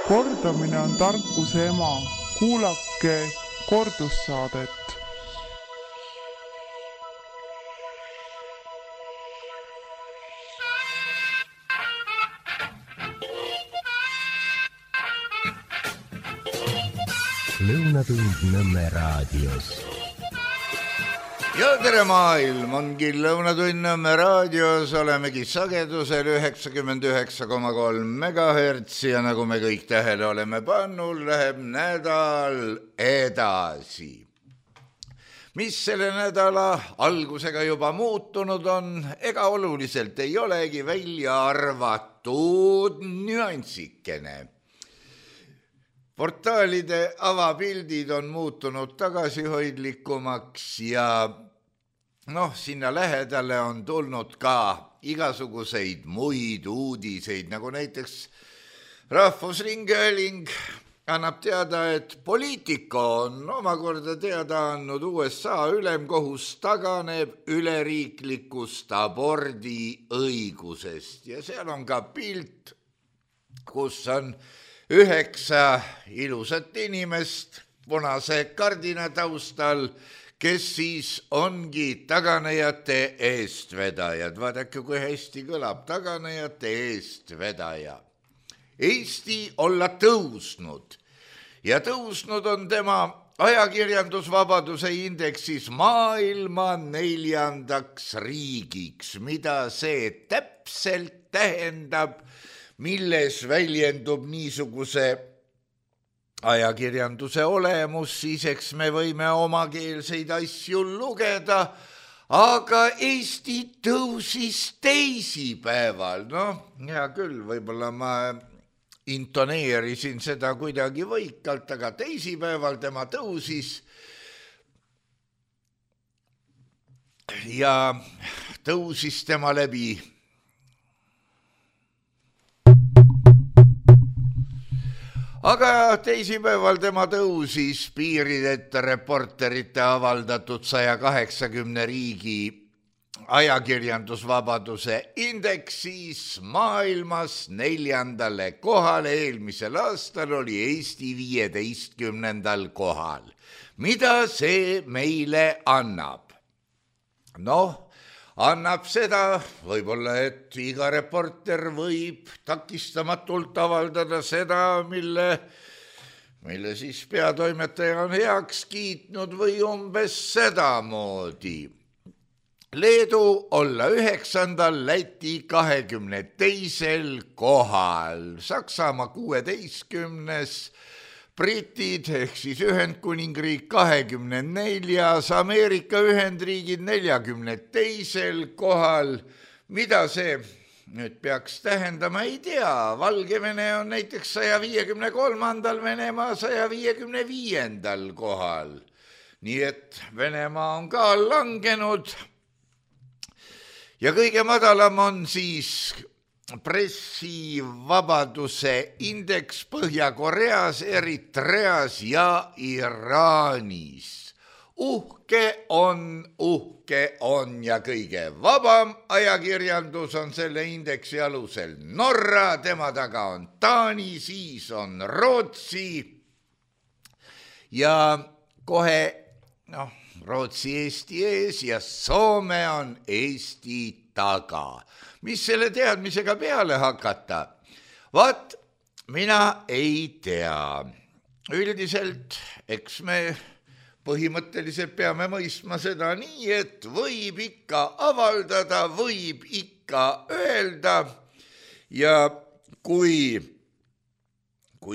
Kordamine on tarkuse ema. Kuulake kordussaadet. Lõunatund Nõmme raadios. Ja tere maailm, ongi Lõunatund Nõmme raadios, olemegi sagedusel 99,3 MHz ja nagu me kõik tähele oleme pannul, läheb nädal edasi. Mis selle nädala algusega juba muutunud on, ega oluliselt ei olegi, välja arvatud nüanssikene. Portaalide avapildid on muutunud tagasihoidlikumaks ja sinna lähedale on tulnud ka igasuguseid muid uudiseid, nagu näiteks Rahvusringhääling annab teada, et Politico on omakorda teada andnud, USA ülemkohus taganeb üleriiklikust abordiõigusest ja seal on ka pilt, kus on 9 ilusat inimest punase kardina taustal, kes siis ongi taganejate eestvedajad. Vaadake, kui hästi kõlab, taganejate eestvedaja. Eesti olla tõusnud ja tõusnud on tema ajakirjandusvabaduse indeksis maailma 4. riigiks. Mida see täpselt tähendab, milles väljendub niisuguse ajakirjanduse olemus, siis eks me võime omakeelseid asju lugeda, aga Eesti tõusis teisipäeval. Hea küll, võib-olla ma intoneerisin seda kuidagi võikalt, aga teisipäeval tema tõusis ja tõusis tema läbi aga teisipäeval tema tõusis piirideta reporterite avaldatud 180 riigi ajakirjandusvabaduse indeksis maailmas 4. kohale. Eelmisel aastal oli Eesti 15. kohal. Mida see meile annab? Annab seda võib-olla, et iga reporter võib takistamatult avaldada seda, mille siis peatoimetaja on heaks kiitnud või umbes sedamoodi. Leedu olla 9., Läti 22. kohal, Saksamaa 16., Britid ehk siis Ühendkuningriik 24., Ameerika Ühendriigid 42. kohal. Mida see nüüd peaks tähendama, ei tea. Valgevene on näiteks 153., Venemaa 155. kohal. Nii et Venemaa on ka langenud. Ja kõige madalam on siis pressivabaduse indeks Põhja-Koreas, Eritreas ja Iraanis. Uhke on ja kõige vabam ajakirjandus on selle indeksi alusel Norra, tema taga on Taani, siis on Rootsi ja kohe Rootsi Eesti ees ja Soome on Eesti taga. Mis selle teadmisega peale hakata? Vaat, mina ei tea. Üldiselt, eks me põhimõtteliselt peame mõistma seda nii, et võib ikka avaldada, võib ikka öelda ja kui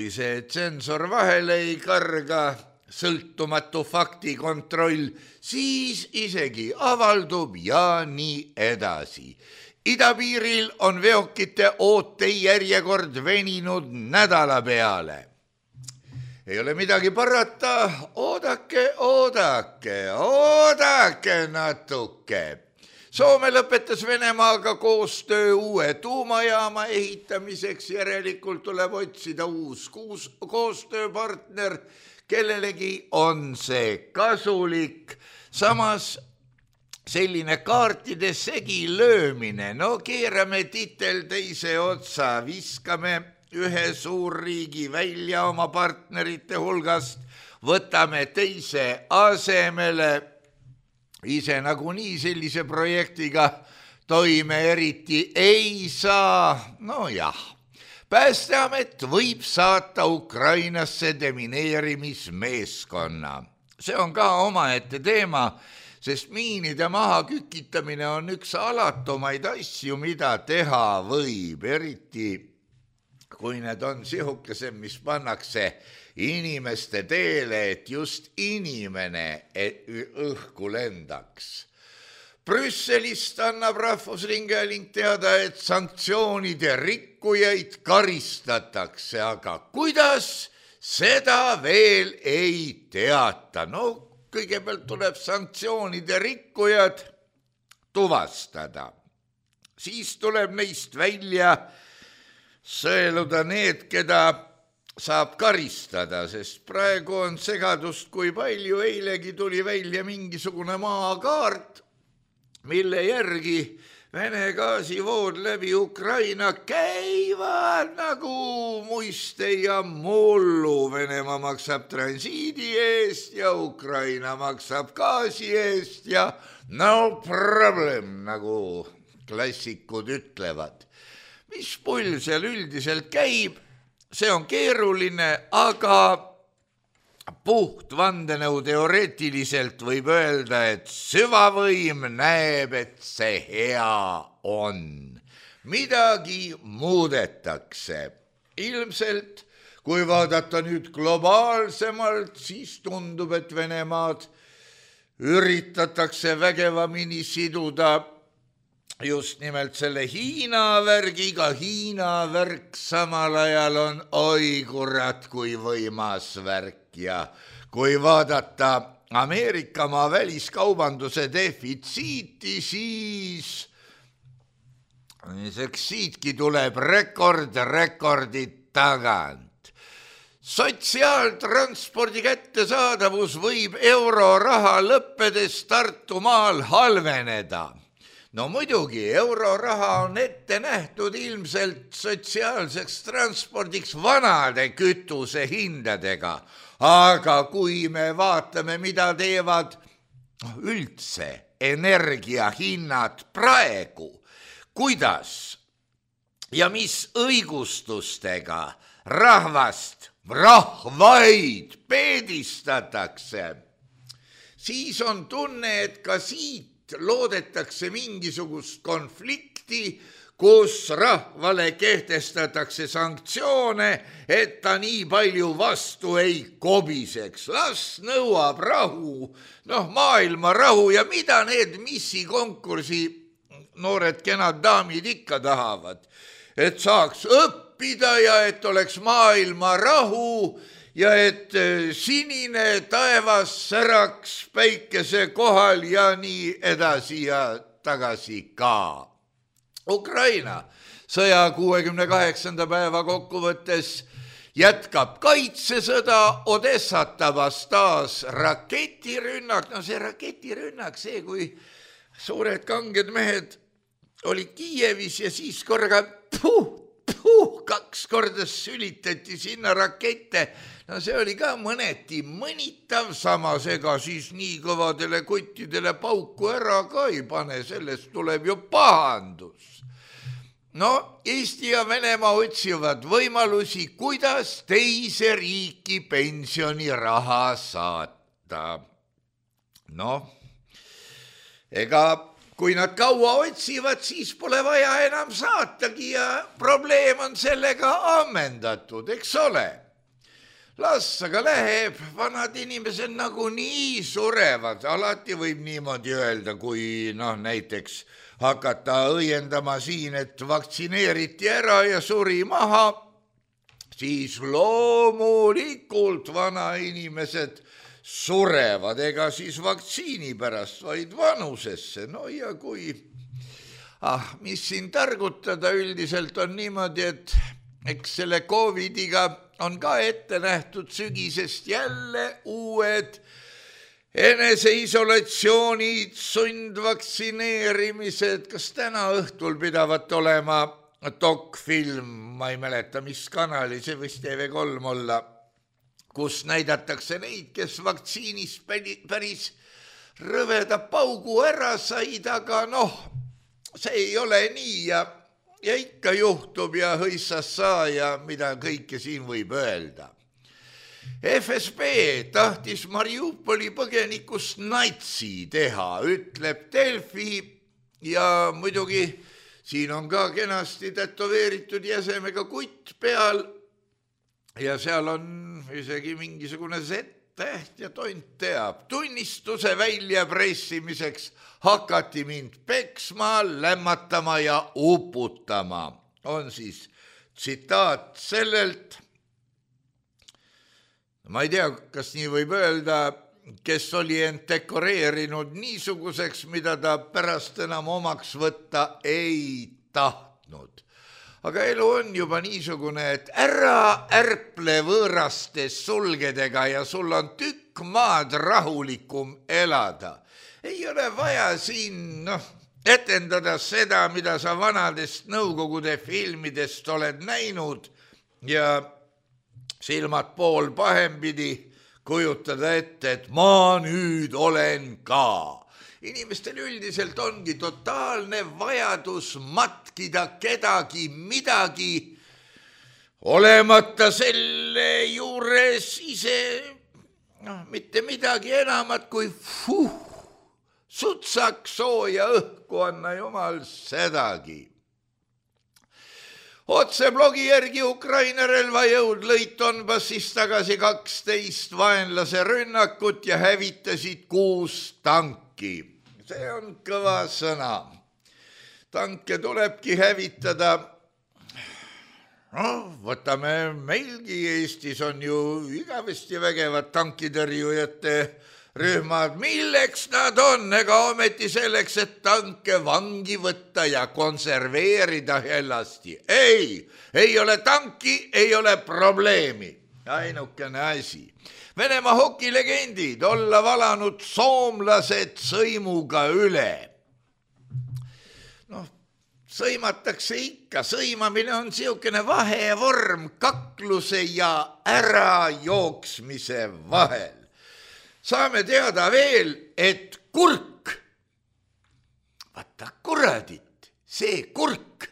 see tsensor vahele ei karga, sõltumatu faktikontroll, siis isegi avaldub ja nii edasi. Idapiiril on veokite ootejärjekord veninud nädala peale. Ei ole midagi parata, oodake natuke. Soome lõpetas Venemaaga koostöö uue tuumajaama ehitamiseks, järelikult tuleb otsida uus koostööpartner, kellelegi on see kasulik. Samas selline kaartide segi löömine, keerame titel teise otsa, viskame ühe suurriigi välja oma partnerite hulgast, võtame teise asemele, ise nagunii sellise projektiga toime eriti ei saa. No jah, Päästeamet võib saata Ukrainasse demineerimismeeskonna. See on ka omaette teema, sest miinide maha kükitamine on üks alatumaid asju, mida teha võib, eriti kui need on sihukesed, mis pannakse inimeste teele, et just inimene õhku lendaks. Brüsselist annab Rahvusringhääling teada, et sanktsioonide rikkujaid karistatakse, aga kuidas, seda veel ei teata. No kõigepealt tuleb sanktsioonide rikkujad tuvastada. Siis tuleb neist välja sõeluda need, keda saab karistada, sest praegu on segadust kui palju. Eilegi tuli välja mingisugune maakaart, mille järgi Vene gaasivood läbi Ukraina käivad nagu muiste ja mullu. Venemaa maksab transiidi eest ja Ukraina maksab gaasi eest ja no problem, nagu klassikud ütlevad. Mis pull seal üldiselt käib, see on keeruline, aga puht vandenõu teoreetiliselt võib öelda, et süvavõim näeb, et see hea on. Midagi muudetakse. Ilmselt, kui vaadata nüüd globaalsemalt, siis tundub, et Venemaad üritatakse vägevamini siduda just nimelt selle Hiina värgiga. Hiina värk samal ajal on oi kurat kui võimas värk. Ja kui vaadata Ameerikamaa väliskaubanduse defitsiiti, siis siitki tuleb rekordit tagant. Sotsiaaltranspordi kättesaadavus võib euroraha lõppedes Tartumaal halveneda. No muidugi, euroraha on ette nähtud ilmselt sotsiaalseks transpordiks vanade kütuse hindadega. Aga kui me vaatame, mida teevad üldse energiahinnad praegu, kuidas ja mis õigustustega rahvaid peedistatakse, siis on tunne, et ka siit loodetakse mingisugust konflikti, kus rahvale kehtestatakse sanktsioone, et ta nii palju vastu ei kobiseks. Las nõuab rahu, maailma rahu ja mida need missikonkursi noored kenad daamid ikka tahavad, et saaks õppida ja et oleks maailma rahu ja et sinine taevas säraks päikese kohal ja nii edasi ja tagasi ka. Ukraina sõja 68. päeva kokkuvõttes jätkab kaitsesõda, Odessat tabas taas raketirünnak. No see raketirünnak, see kui suured kanged mehed olid Kiievis ja siis korraga 2 korda sülitati sinna rakette. No see oli ka mõneti mõnitav, samas ega siis nii kõvadele kottidele pauku ära ka ei pane, sellest tuleb ju pahandus. No Eesti ja Venemaa otsivad võimalusi, kuidas teise riiki pensioniraha saata. Ega kui nad kaua otsivad, siis pole vaja enam saatagi ja probleem on sellega ammendatud, eks ole. Las aga läheb, vanad inimesed nagunii surevad, alati võib niimoodi öelda, kui näiteks hakata õiendama siin, et vaktsineeriti ära ja suri maha, siis loomulikult vanainimesed surevad, ega siis vaktsiini pärast, vaid vanusesse. No ja kui, mis siin targutada, üldiselt on niimoodi, et eks selle COVIDiga on ka ette nähtud sügisest jälle uued eneseisolatsioonid, sundvaktsineerimised. Kas täna õhtul pidavat olema dokfilm, ma ei mäleta, mis kanali, see võis TV3 olla, kus näidatakse neid, kes vaktsiinis päris rõveda paugu ära said, aga see ei ole nii ja ikka juhtub ja hõissas saa ja mida kõike siin võib öelda. FSB tahtis Mariupoli põgenikust natsi teha, ütleb Delfi ja muidugi siin on ka kenasti tätoveeritud jäsemega kutt peal ja seal on isegi mingisugune Z-täht ja tont teab. Tunnistuse väljapressimiseks hakati mind peksma, lämmatama ja uputama. On siis tsitaat sellelt, ma ei tea, kas nii võib öelda, kes oli end dekoreerinud niisuguseks, mida ta pärast enam omaks võtta ei tahtnud. Aga elu on juba niisugune, et ära ärple võõrastes sulgedega ja sul on tükk maad rahulikum elada. Ei ole vaja siin etendada seda, mida sa vanadest Nõukogude filmidest oled näinud ja silmad pool pahempidi kujutada ette, et ma nüüd olen ka. Inimestel üldiselt ongi totaalne vajadus matkida kedagi midagi, olemata selle juures ise mitte midagi enamat kui sutsaks sooja õhku, anna jumal sedagi. Otse blogi järgi Ukraina relvajõud lõid Donbassis tagasi 12 vaenlase rünnakut ja hävitasid 6 tanki. See on kõva sõna. Tanke tulebki hävitada. Võtame meilgi Eestis on ju igavesti vägevad tankitõrjujate rühmad, milleks nad on, ega ometi selleks, et tanke vangi võtta ja konserveerida hellasti. Ei ole tanki, ei ole probleemi. Ainukene asi. Venemaa hokilegendid olla valanud soomlased sõimuga üle. Sõimatakse ikka, sõimamine on siukene vahevorm kakluse ja ärajooksmise vahel. Saame teada veel, et kurk, vaata kuradit, see kurk,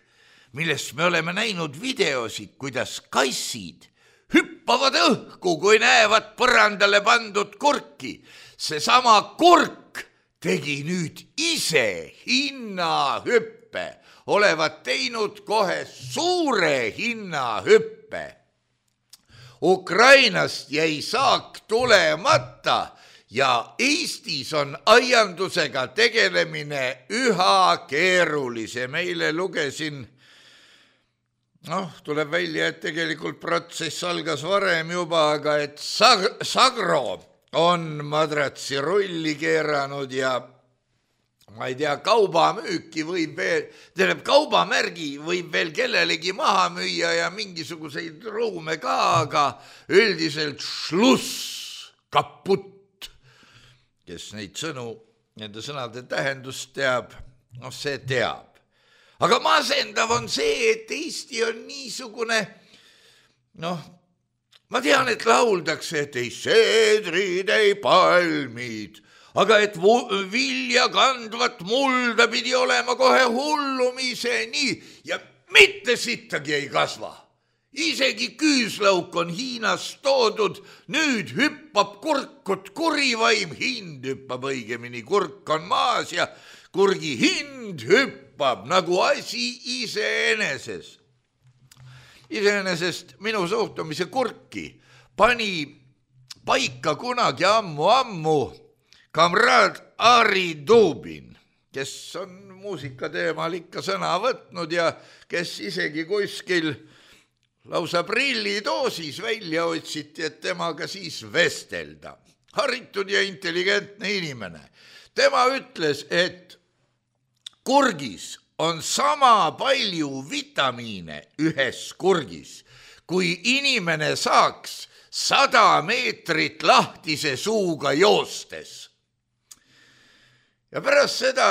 millest me oleme näinud videosid, kuidas kassid hüppavad õhku, kui näevad põrandale pandud kurki. Seesama kurk tegi nüüd ise hinnahüppe, olevat teinud kohe suure hinnahüppe. Ukrainast jäi saak tulemata ja Eestis on aiandusega tegelemine üha keerulisem. Eile lugesin, tuleb välja, et tegelikult protsess algas varem juba, aga et Sagro on madratsi rulli keeranud ja ma ei tea, kaubamüüki võib veel, kaubamärgi võib veel kellelegi maha müüa ja mingisuguseid ruume ka, aga üldiselt šluss, kaput. Kes neid sõnu, nende sõnade tähendust teab, see teab. Aga masendav on see, et Eesti on niisugune, ma tean, et lauldakse, et ei seedrid, ei palmid, aga et vilja kandvat mulda pidi olema kohe hullumiseni ja mitte sittagi ei kasva. Isegi küüslauk on Hiinast toodud, nüüd hüppab kurkut kurivaim, hind hüppab õigemini, kurk on maas ja kurgi hind hüppab nagu asi iseeneses. Iseenesest minu suhtumise kurki pani paika kunagi ammu kamraad Ari Dubin, kes on muusika teemal ikka sõna võtnud ja kes isegi kuskil lausa prillidoosis välja otsiti, et temaga siis vestelda. Haritud ja intelligentne inimene. Tema ütles, et kurgis on sama palju vitamiine ühes kurgis, kui inimene saaks 100 meetrit lahtise suuga joostes. Ja pärast seda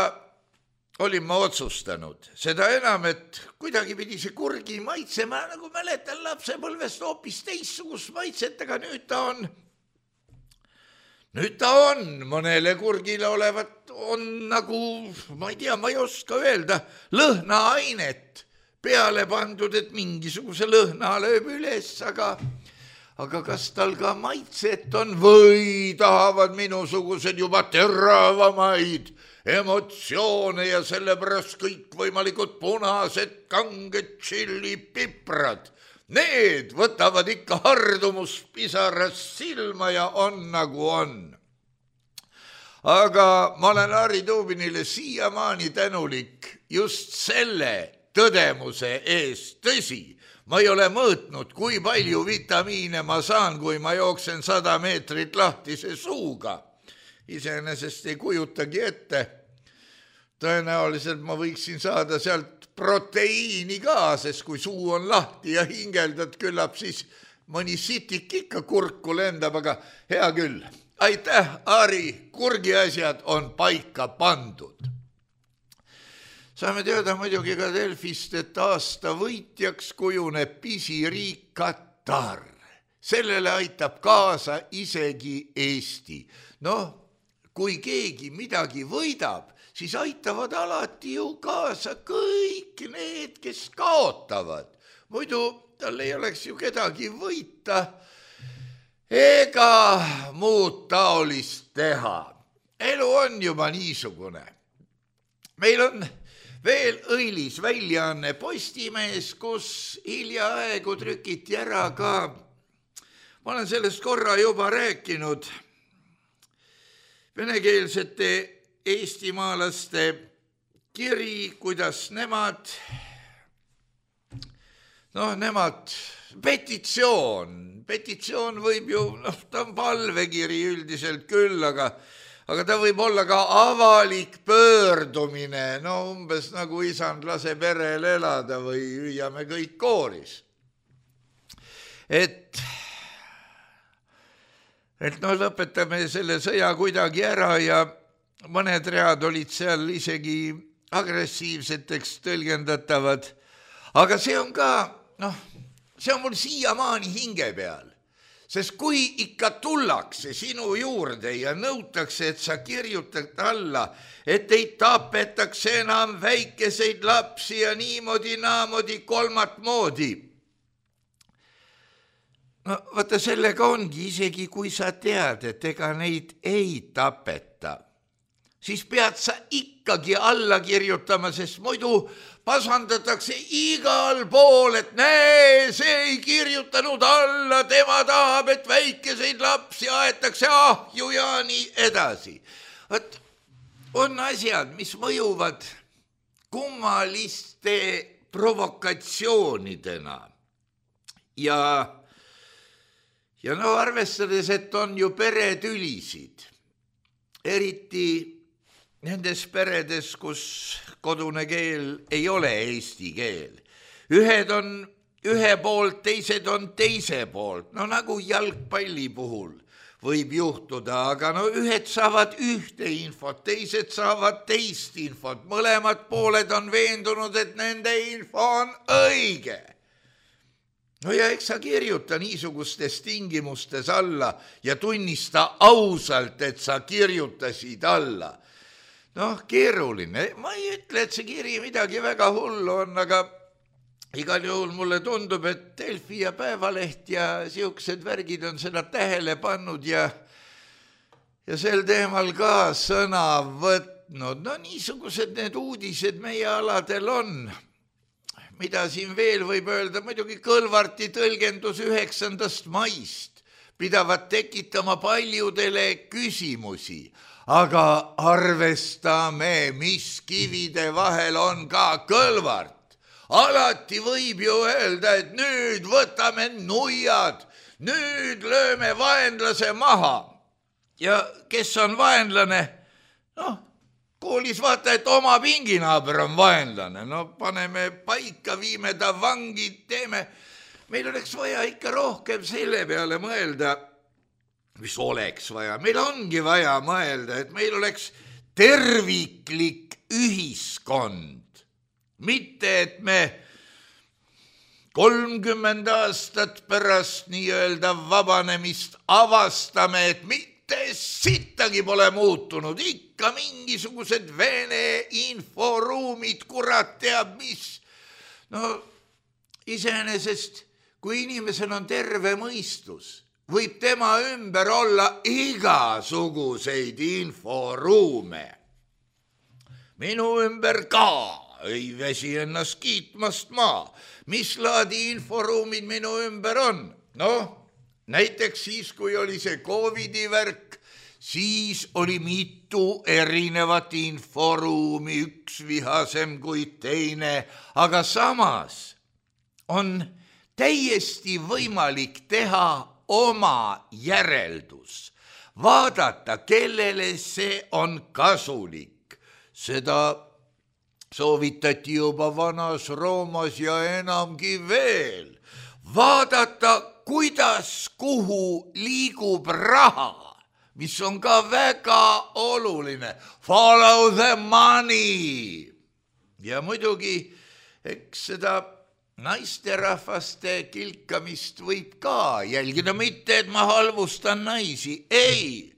olin ma otsustanud. Seda enam, et kuidagi pidi see kurgi maitse, ma nagu mäletan lapsepõlvest hoopis teissugust maitset, aga nüüd ta on mõnele kurgile olevat, on nagu, ma ei tea, ma ei oska öelda, lõhnaainet peale pandud, et mingisuguse lõhna lööb üles, aga kas tal ka maitset on või tahavad minusugused juba teravamaid emotsioone ja sellepärast kõikvõimalikud punased kanged tšillipiprad. Need võtavad ikka hardumuspisarast silma ja on nagu on. Aga ma olen Harri Tuubinile siiamaani tänulik just selle tõdemuse eest. Tõsi, ma ei ole mõõtnud, kui palju vitamiine ma saan, kui ma jooksen 100 meetrit lahtise suuga. Iseenesest ei kujutagi ette. Tõenäoliselt ma võiksin saada sealt proteiini ka, sest kui suu on lahti ja hingeldad, küllap siis mõni sitik ikka kurku lendab, aga hea küll. Aitäh, Harri, kurgi asjad on paika pandud. Saame teada muidugi ka Delfist, et aasta võitjaks kujuneb pisiriik Katar. Sellele aitab kaasa isegi Eesti. Kui keegi midagi võidab, siis aitavad alati ju kaasa kõik need, kes kaotavad. Muidu tal ei oleks ju kedagi võita ega muud taolist teha. Elu on juba niisugune. Meil on veel õilis väljaanne Postimees, kus hiljaaegu trükiti ära ka, ma olen sellest korra juba rääkinud, venekeelsete eestimaalaste kiri, kuidas nemad, petitsioon võib ju, ta on palvekiri üldiselt küll, aga ta võib olla ka avalik pöördumine, umbes nagu isand lase perel elada või hüüame kõik kooris. Et lõpetame selle sõja kuidagi ära ja mõned read olid seal isegi agressiivseteks tõlgendatavad. Aga see on ka, see on mul siiamaani hinge peal. Sest kui ikka tullakse sinu juurde ja nõutakse, et sa kirjutad alla, et ei tapetaks enam väikeseid lapsi ja niimoodi, naamoodi, kolmat moodi. Vaata, sellega ongi, isegi kui sa tead, et ega neid ei tapeta, siis pead sa ikkagi alla kirjutama, sest muidu pasandatakse igal pool, et näe, see ei kirjutanud alla, tema tahab, et väikeseid lapsi aetakse ahju ja nii edasi. Võt, on asjad, mis mõjuvad kummaliste provokatsioonidena ja arvestades, et on ju peretülisid, eriti nendes peredes, kus kodune keel ei ole eesti keel. Ühed on ühe poolt, teised on teise poolt, nagu jalgpalli puhul võib juhtuda, aga ühed saavad ühte infot, teised saavad teist infot, mõlemad pooled on veendunud, et nende info on õige. Ja eks sa kirjuta niisugustes tingimustes alla ja tunnista ausalt, et sa kirjutasid alla. Keeruline. Ma ei ütle, et see kiri midagi väga hullu on, aga igal juhul mulle tundub, et Delfi ja Päevaleht ja siuksed värgid on seda tähele pannud ja sel teemal ka sõna võtnud. Niisugused need uudised meie aladel on. Mida siin veel võib öelda, muidugi Kõlvarti tõlgendus 9. maist pidavad tekitama paljudele küsimusi, aga arvestame, mis kivide vahel on ka Kõlvart. Alati võib ju öelda, et nüüd võtame nuiad, nüüd lööme vaenlase maha. Ja kes on vaenlane? Koolis vaata, et oma pinginaaber on vaenlane. Paneme paika, viime ta vangid, teeme. Meil oleks vaja ikka rohkem selle peale mõelda, mis oleks vaja. Meil ongi vaja mõelda, et meil oleks terviklik ühiskond. Mitte, et me 30 aastat pärast nii-öelda vabanemist avastame, et mitte sittagi pole muutunud, ikka mingisugused Vene inforuumid, kurat teab mis. No iseenesest, kui inimesel on terve mõistus, võib tema ümber olla igasuguseid inforuume. Minu ümber ka ei väsi ennast kiitmast maa. Mis laadi inforuumid minu ümber on? Noh, näiteks siis, kui oli see COVID-i värk, siis oli mitu erinevat inforuumi, üks vihasem kui teine, aga samas on täiesti võimalik teha oma järeldus, vaadata, kellele see on kasulik. Seda soovitati juba vanas Roomas ja enamgi veel. Vaadata, kuidas, kuhu liigub raha, mis on ka väga oluline. Follow the money. Ja muidugi, eks seda naisterahvaste kilkamist võib ka jälgida, mitte et ma halvustan naisi, ei.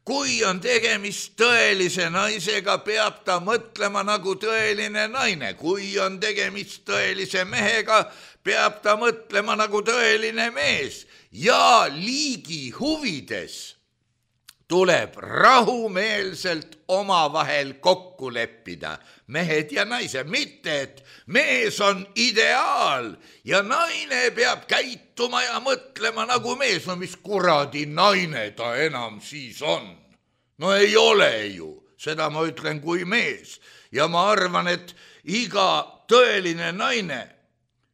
Kui on tegemist tõelise naisega, peab ta mõtlema nagu tõeline naine. Kui on tegemist tõelise mehega, peab ta mõtlema nagu tõeline mees. Ja liigi huvides tuleb rahumeelselt omavahel kokku leppida, mehed ja naised. Mitte, et mees on ideaal ja naine peab käituma ja mõtlema nagu mees. No mis kuradi naine ta enam siis on? No ei ole ju, seda ma ütlen kui mees. Ja ma arvan, et iga tõeline naine,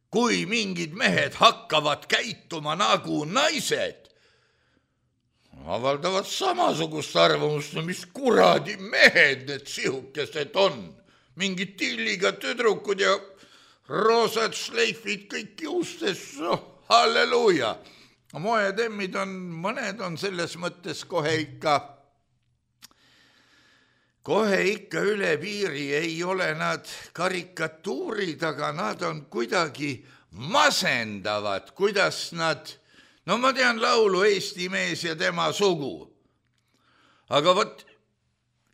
kui mingid mehed hakkavad käituma nagu naised, avaldavad samasugust arvamust, no mis kuradi mehed need sihukesed on. Mingid tilliga tüdrukud ja roosad šleifid kõik juustes, halleluuja. Moetemmid on, mõned on selles mõttes kohe ikka üle piiri, ei ole nad karikatuurid, aga nad on kuidagi masendavad, kuidas nad. No ma tean laulu Eesti mees ja tema sugu. Aga vot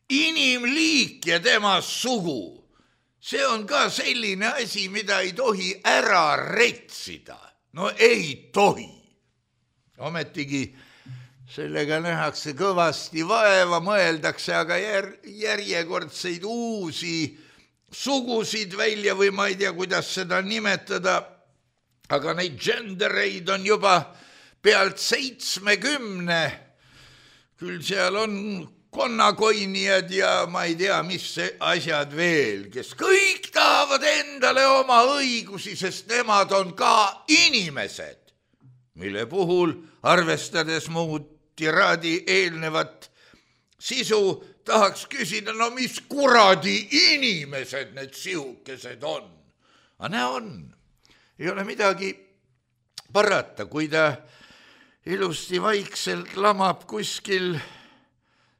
inimliik ja tema sugu, see on ka selline asi, mida ei tohi ära retsida. No ei tohi. Ometigi sellega nähakse kõvasti vaeva, mõeldakse aga järjekordseid uusi sugusid välja või ma ei tea, kuidas seda nimetada. Aga neid gendereid on juba pealt 70, küll seal on konnakoinijad ja ma ei tea, mis asjad veel, kes kõik tahavad endale oma õigusi, sest nemad on ka inimesed, mille puhul, arvestades muud tiraadi eelnevat sisu, tahaks küsida, no mis kuradi inimesed need sihukesed on. Aga näe on, ei ole midagi parata, kui ta ilusti vaikselt lamab kuskil,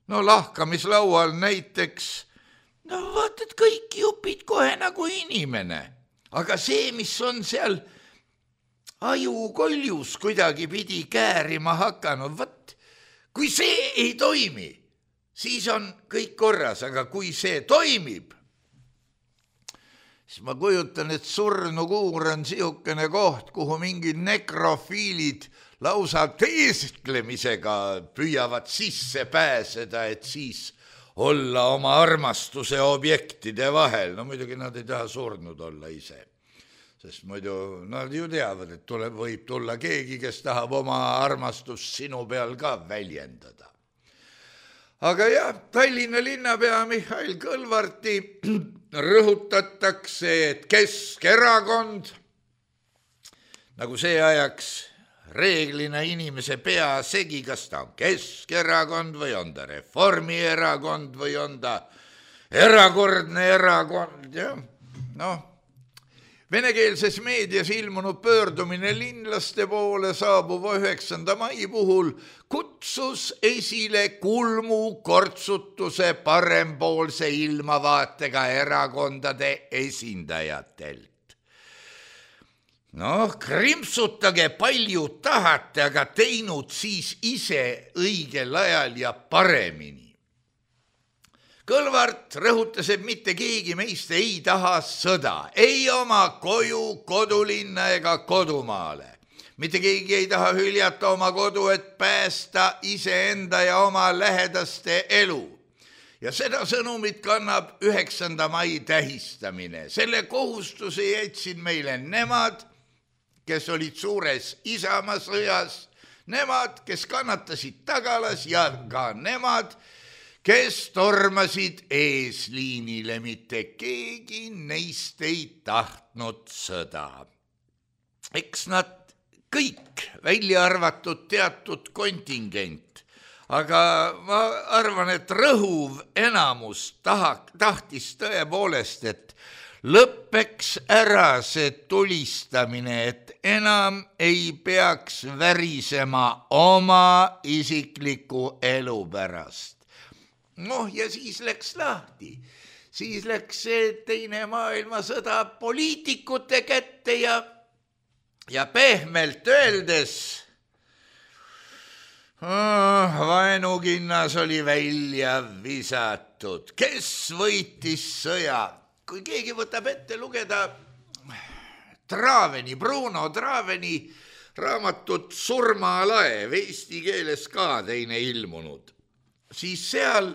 no lahkamislaual näiteks, no vaatad kõik jupid kohe nagu inimene. Aga see, mis on seal ajukoljus kuidagi pidi käärima hakanud, võt, kui see ei toimi, siis on kõik korras, aga kui see toimib, siis ma kujutan, et surnukuur on sihukene koht, kuhu mingid nekrofiilid lausa teesklemisega püüavad sisse pääseda, et siis olla oma armastuse objektide vahel. No muidugi nad ei taha surnud olla ise, sest muidu nad ju teavad, et võib tulla keegi, kes tahab oma armastust sinu peal ka väljendada. Aga jah, Tallinna linnapea Mihhail Kõlvarti rõhutatakse, et Keskerakond, nagu see ajaks reeglina inimese pea segi, kas ta on Keskerakond või on ta Reformierakond või on ta erakordne erakond. Ja? No, Venekeelses meedias ilmunud pöördumine linlaste poole saabuva 9. mai puhul kutsus esile kulmu kortsutuse parempoolse ilmavaatega erakondade esindajatelt. Krimpsutage palju tahate, aga teinud siis ise õigel ajal ja paremini. Kõlvart rõhutas, et mitte keegi meist ei taha sõda, ei oma koju, kodulinna ega kodumaale. Mitte keegi ei taha hüljata oma kodu, et päästa iseenda ja oma lähedaste elu. Ja seda sõnumit kannab 9. mai tähistamine. Selle kohustuse jätsid meile nemad, kes olid suures Isamaa sõjas, nemad, kes kannatasid tagalas ja ka nemad, kes tormasid eesliinile, mitte keegi neist ei tahtnud sõda. Eks nad kõik, välja arvatud teatud kontingent, aga ma arvan, et rõhuv enamus tahtis tõepoolest, et lõppeks ära see tulistamine, et enam ei peaks värisema oma isikliku elu pärast. Ja siis läks lahti. Siis läks see teine maailmasõda poliitikute kätte ja pehmelt öeldes vaenukinnas oli välja visatud. Kes võitis sõja? Kui keegi võtab ette lugeda Bruno Traveni raamatut Surmalaev, eesti keeles ka teine ilmunud, siis seal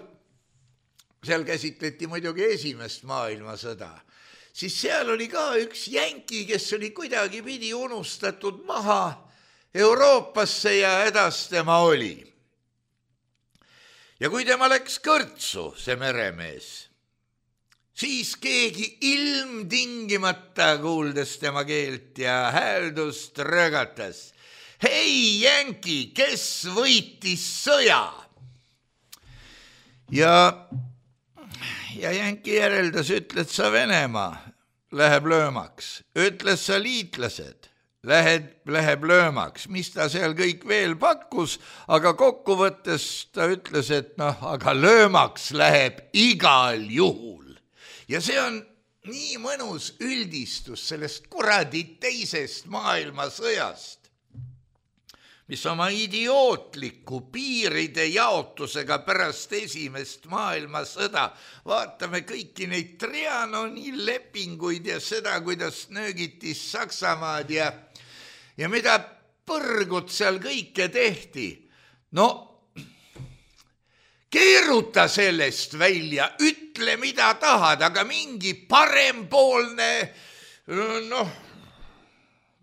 käsitleti muidugi esimest maailmasõda, siis seal oli ka üks jänki, kes oli kuidagi pidi unustatud maha Euroopasse ja edas tema oli. Ja kui tema läks kõrtsu, see meremees, siis keegi ilmtingimata kuuldes tema keelt ja hääldust rögatas. Hei jänki, kes võitis sõja? Ja jänki järeldas, ütles sa Venemaa, läheb löömaks. Ütles sa liitlased, läheb löömaks. Mis ta seal kõik veel pakkus, aga kokkuvõttes ta ütles, et aga löömaks läheb igal juhul. Ja see on nii mõnus üldistus sellest kuradi teisest maailmasõjast, mis oma idiootliku piiride jaotusega pärast esimest maailmasõda, vaatame kõiki neid Trianoni lepinguid ja seda, kuidas nöögiti Saksamaad ja mida põrgut seal kõike tehti. Keeruta sellest välja, ütle mida tahad, aga mingi parempoolne,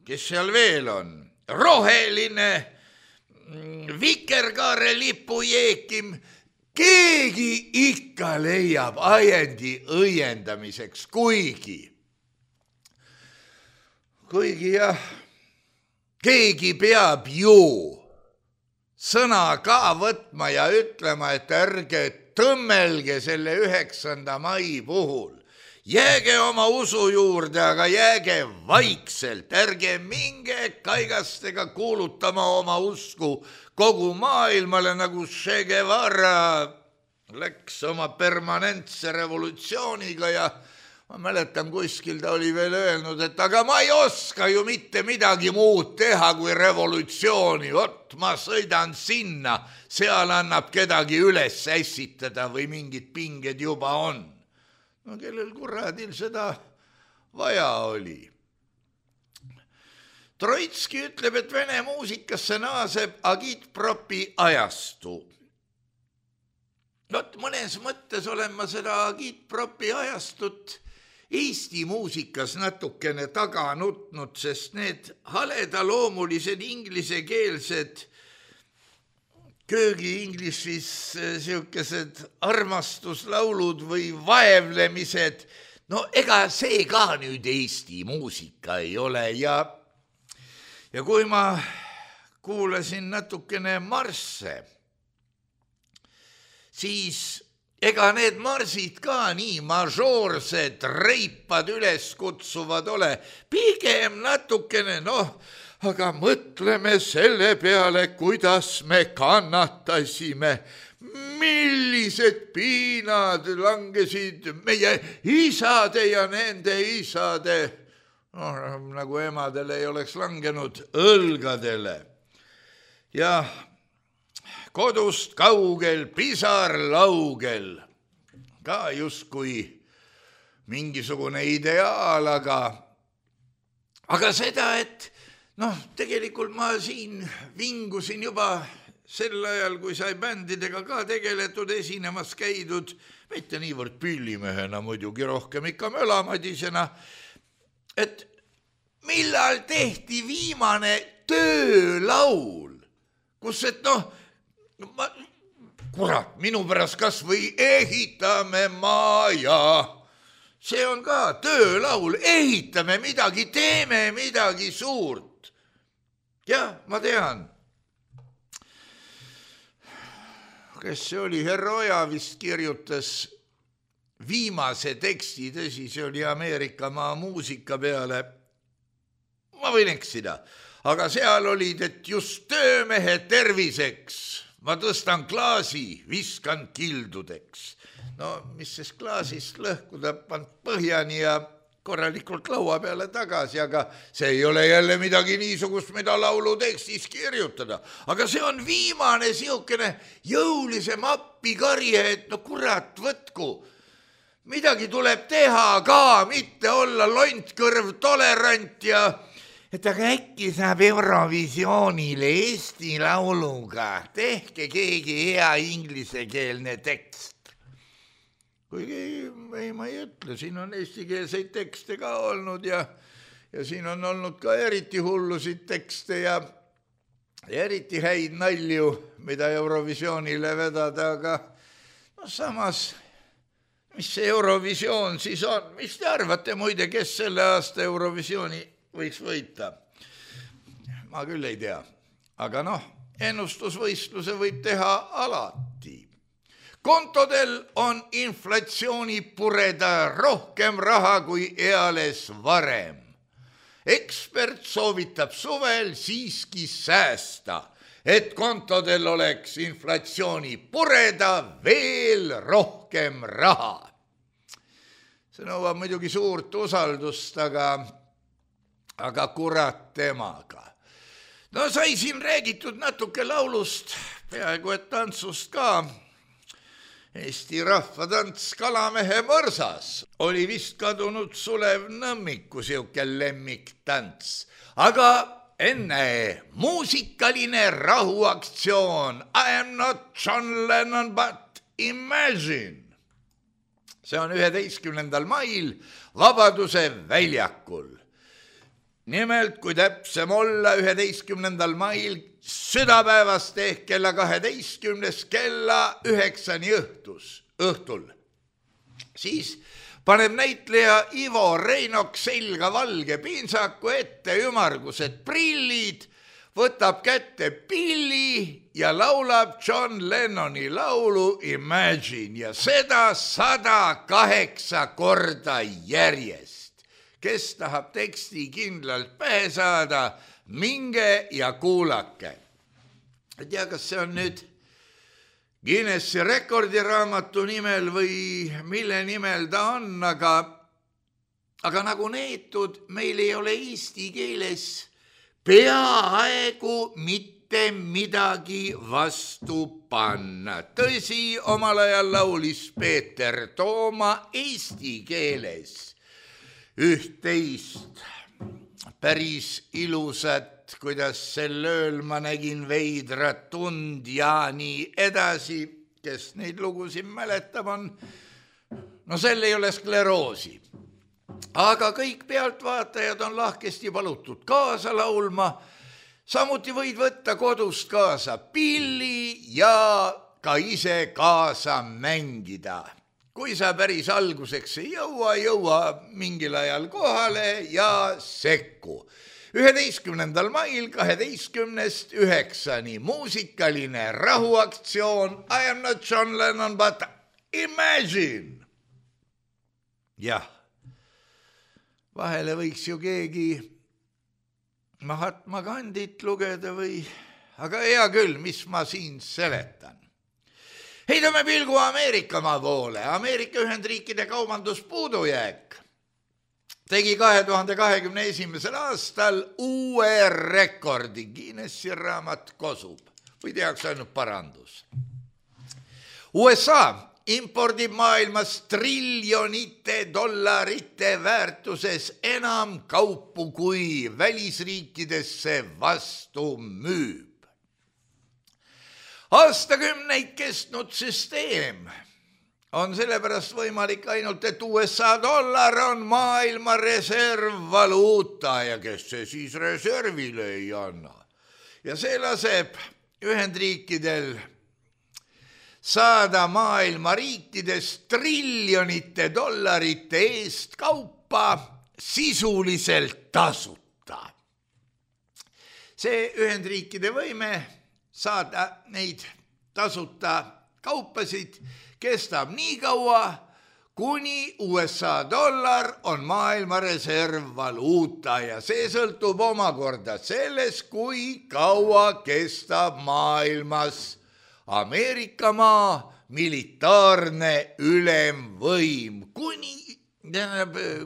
kes seal veel on? Roheline, vikerkaare lipu jeekim, keegi ikka leiab ajendi õiendamiseks, kuigi jah, keegi peab ju sõna ka võtma ja ütlema, et ärge tõmmelge selle 9. mai puhul. Jääge oma usu juurde, aga jääge vaikselt, ärge minge kaigastega kuulutama oma usku kogu maailmale, nagu Che Guevara läks oma permanentse revolutsiooniga ja ma mäletan, kuskil ta oli veel öelnud, et aga ma ei oska ju mitte midagi muud teha kui revolutsiooni, vot ma sõidan sinna, seal annab kedagi üles ässitada või mingid pinged juba on. Kellel kuradil seda vaja oli. Troitski ütleb, et Vene muusikasse naaseb agitpropi ajastu. Mõnes mõttes olen ma seda agitpropi ajastut Eesti muusikas natukene taga nutnud, sest need haledaloomulised inglisekeelsed köögi-inglissis siukesed armastuslaulud või vaevlemised, ega see ka nüüd Eesti muusika ei ole ja kui ma kuulasin natukene marsse, siis ega need marsid ka nii mažoorsed, reipad üles kutsuvad ole, pigem natukene, aga mõtleme selle peale, kuidas me kannatasime, millised piinad langesid meie isade ja nende isade, nagu emadele ei oleks langenud, õlgadele. Ja kodust kaugel, pisar laugel, ka justkui mingisugune ideaal, aga seda, et tegelikult ma siin vingusin juba sel ajal, kui sai bändidega ka tegeletud, esinemas käidud, mitte niivõrd pillimehena muidugi, rohkem ikka mölamadisena, et millal tehti viimane töölaul, kus kurat, minu pärast kas või ehitame maja. See on ka töölaul, ehitame midagi, teeme midagi suurt. Jah, ma tean. Kes see oli? Herroja vist kirjutas viimase teksti, tõsi, see oli Ameerika maa muusika peale. Ma võin eksida, aga seal olid, et just töömehe terviseks ma tõstan klaasi, viskan kildudeks. Mis siis klaasist lõhkuda, pand põhjani ja korralikult laua peale tagasi, aga see ei ole jälle midagi niisugust, mida laulu tekstis kirjutada. Aga see on viimane siukene jõulisem appikarje, et kurat, võtku. Midagi tuleb teha ka, mitte olla lontkõrv tolerant ja et aga äkki saab Eurovisioonile Eesti lauluga. Tehke keegi hea inglisekeelne tekst. Kuigi ma ei ütle, siin on eestikeelseid tekste ka olnud ja siin on olnud ka eriti hullusid tekste ja eriti häid nalju, mida Eurovisioonile vedada, aga samas, mis see Eurovisioon siis on? Mis te arvate muide, kes selle aasta Eurovisiooni võiks võita? Ma küll ei tea, aga ennustusvõistluse võib teha alati. Kontodel on inflatsioonipureda rohkem raha kui eales varem. Ekspert soovitab suvel siiski säästa, et kontodel oleks inflatsioonipureda veel rohkem raha. See nõuab muidugi suurt usaldust, aga kurat temaga. Sai siin räägitud natuke laulust, peaaegu et tantsust ka. Eesti rahvatants Kalamehe mõrsas oli vist kadunud Sulev Nõmmiku siuke lemmiktants. Aga enne muusikaline rahuaktsioon I am not John Lennon but Imagine. See on 11. mail Vabaduse väljakul. Nimelt, kui täpsem olla, 11. mail südapäevast ehk kella 12 kella 9 õhtul. Siis paneb näitleja Ivo Reinok selga valge pintsaku ette ümmargused prillid, võtab kätte pilli ja laulab John Lennoni laulu Imagine ja seda 108 korda järjest. Kes tahab teksti kindlalt pähe saada, minge ja kuulake. Ei tea, kas see on nüüd Guinessi rekordiraamatu nimel või mille nimel ta on, aga nagu neetud, meil ei ole eesti keeles peaaegu mitte midagi vastu panna. Tõsi, omal ajal laulis Peeter Tooma eesti keeles üht-teist päris ilusat, kuidas sel ööl ma nägin veidrat tund ja nii edasi, kes neid lugusid mäletab on. Sel ei ole skleroosi. Aga kõik pealtvaatajad on lahkesti palutud kaasa laulma. Samuti võid võtta kodust kaasa pilli ja ka ise kaasa mängida. Kui sa päris alguseks ei jõua mingil ajal kohale ja sekku. 11. mail 12-9 muusikaline rahuaktsioon I am not John Lennon but Imagine! Jah, vahele võiks ju keegi Mahatma Gandhit lugeda või, aga hea küll, mis ma siin seletan. Heidame pilgu Ameerikamaa poole. Ameerika Ühendriikide kaubanduspuudujääk tegi 2021. aastal uue rekordi. Guinessi raamat kosub või tehakse ainult parandus. USA impordib maailmas triljonite dollarite väärtuses enam kaupu, kui välisriikidesse vastu müüb. Aastakümneid kestnud süsteem on sellepärast võimalik ainult, et USA dollar on maailma reservvaluuta ja kes see siis reservile ei anna. Ja see laseb Ühendriikidel saada maailma riikides triljonite dollarite eest kaupa sisuliselt tasuta. See Ühendriikide võime saada neid tasuta kaupasid kestab nii kaua, kuni USA dollar on maailma reservvaluuta ja see sõltub omakorda sellest, kui kaua kestab maailmas Ameerikamaa militaarne ülemvõim,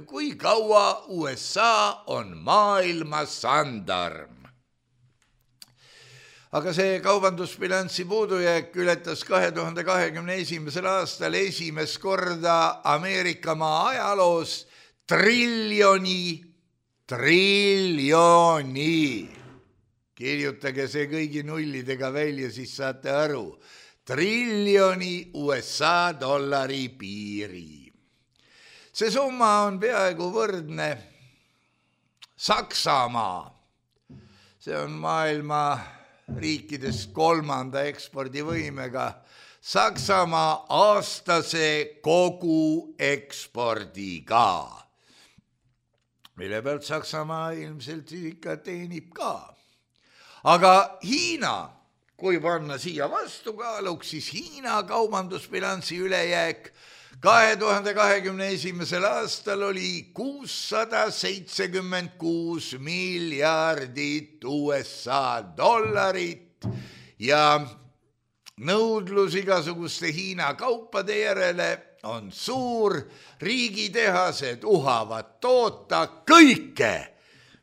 kui kaua USA on maailma sandarm. Aga see kaubandusbilanssi puudujääk ületas 2021. aastal esimest korda Ameerikamaa ajaloos triljoni. Kirjutage see kõigi nullidega välja, siis saate aru. Triljoni USA dollari piiri. See summa on peaaegu võrdne Saksamaa. See on maailma riikidest 3. ekspordivõimega Saksamaa aastase kogu ekspordiga, mille pealt Saksamaa ilmselt ikka teenib ka. Aga Hiina, kui panna siia vastukaaluks, siis Hiina kaubandusbilanssi ülejääk 2021. aastal oli 676 miljardit USA dollarit ja nõudlus igasuguste Hiina kaupade järele on suur. Riigitehased uhavad toota kõike,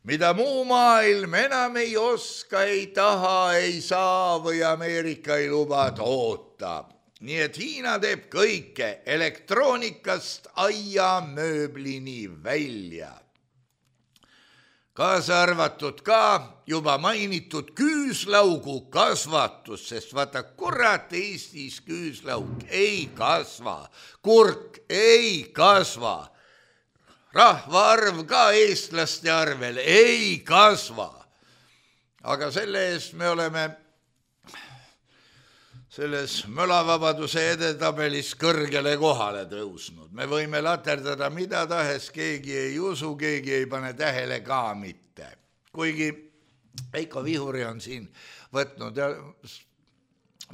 mida muu maailm enam ei oska, ei taha, ei saa või Ameerika ei luba toota. Nii et Hiina teeb kõike elektroonikast aiamööblini välja. Kaasa arvatud ka juba mainitud küüslaugu kasvatus, sest vaata kurat, Eestis küüslauk ei kasva, kurk ei kasva, rahvaarv ka eestlaste arvel ei kasva. Aga selle eest me oleme selles mölavabaduse edetabelis kõrgele kohale tõusnud. Me võime laterdada mida tahes, keegi ei usu, keegi ei pane tähele ka mitte. Kuigi Veiko Vihuri on siin võtnud ja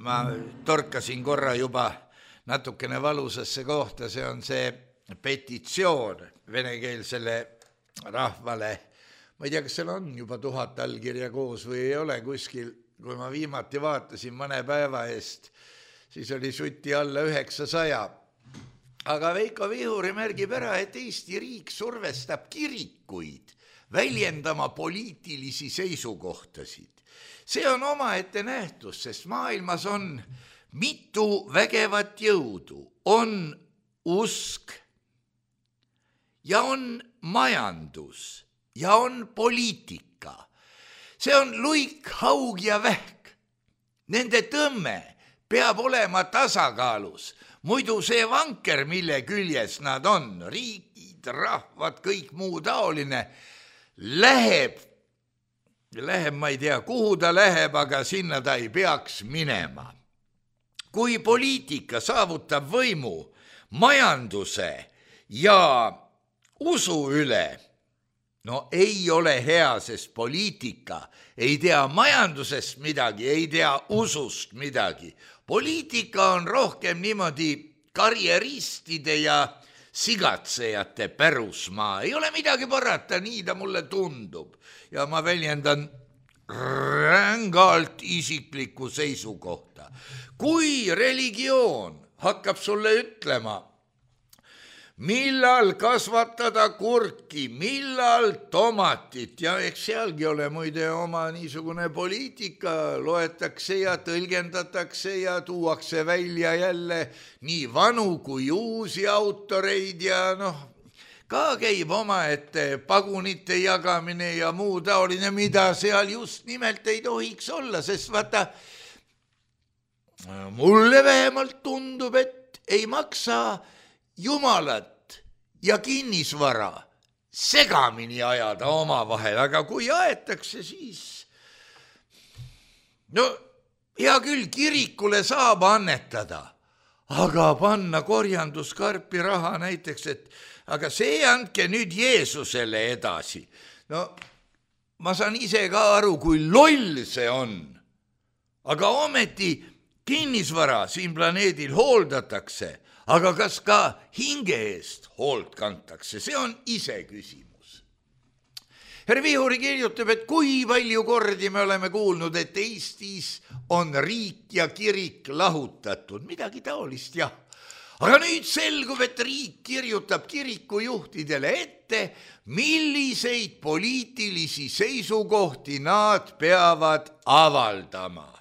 ma torkasin korra juba natukene valusasse kohta, see on see petitsioon venekeelsele rahvale. Ma ei tea, kas seal on juba 1000 allkirja koos või ei ole kuskil. Kui ma viimati vaatasin mõne päeva eest, siis oli suti alla 900. Aga Veiko Vihuri märgib ära, et Eesti riik survestab kirikuid väljendama poliitilisi seisukohtasid. See on omaette nähtus, sest maailmas on mitu vägevat jõudu. On usk ja on majandus ja on poliitika. See on luik, haug ja vähk. Nende tõmme peab olema tasakaalus. Muidu see vanker, mille küljes nad on, riigid, rahvad, kõik muu taoline, läheb, ma ei tea, kuhu ta läheb, aga sinna ta ei peaks minema. Kui poliitika saavutab võimu majanduse ja usu üle, no ei ole hea, sest poliitika ei tea majandusest midagi, ei tea usust midagi. Poliitika on rohkem niimoodi karjeristide ja sigatsejate pärusmaa. Ei ole midagi parata, nii ta mulle tundub. Ja ma väljendan rängalt isiklikku seisukohta. Kui religioon hakkab sulle ütlema, millal kasvatada kurki, millal tomatit ja eks sealgi ole muide oma niisugune poliitika, loetakse ja tõlgendatakse ja tuuakse välja jälle nii vanu kui uusi autoreid ja ka käib omaette pagunite jagamine ja muu taoline, mida seal just nimelt ei tohiks olla, sest vaata, mulle vähemalt tundub, et ei maksa Jumalat ja kinnisvara segamini ajada omavahel, aga kui aetakse, siis hea küll, kirikule saab annetada, aga panna korjanduskarpi raha näiteks, et aga see andke nüüd Jeesusele edasi. Ma saan ise ka aru, kui loll see on, aga ometi kinnisvara siin planeedil hooldatakse, aga kas ka hinge eest hoolt kantakse, see on ise küsimus. Herr Vihuri kirjutab, et kui palju kordi me oleme kuulnud, et Eestis on riik ja kirik lahutatud, midagi taolist jah. Aga nüüd selgub, et riik kirjutab kirikujuhtidele ette, milliseid poliitilisi seisukohti nad peavad avaldama.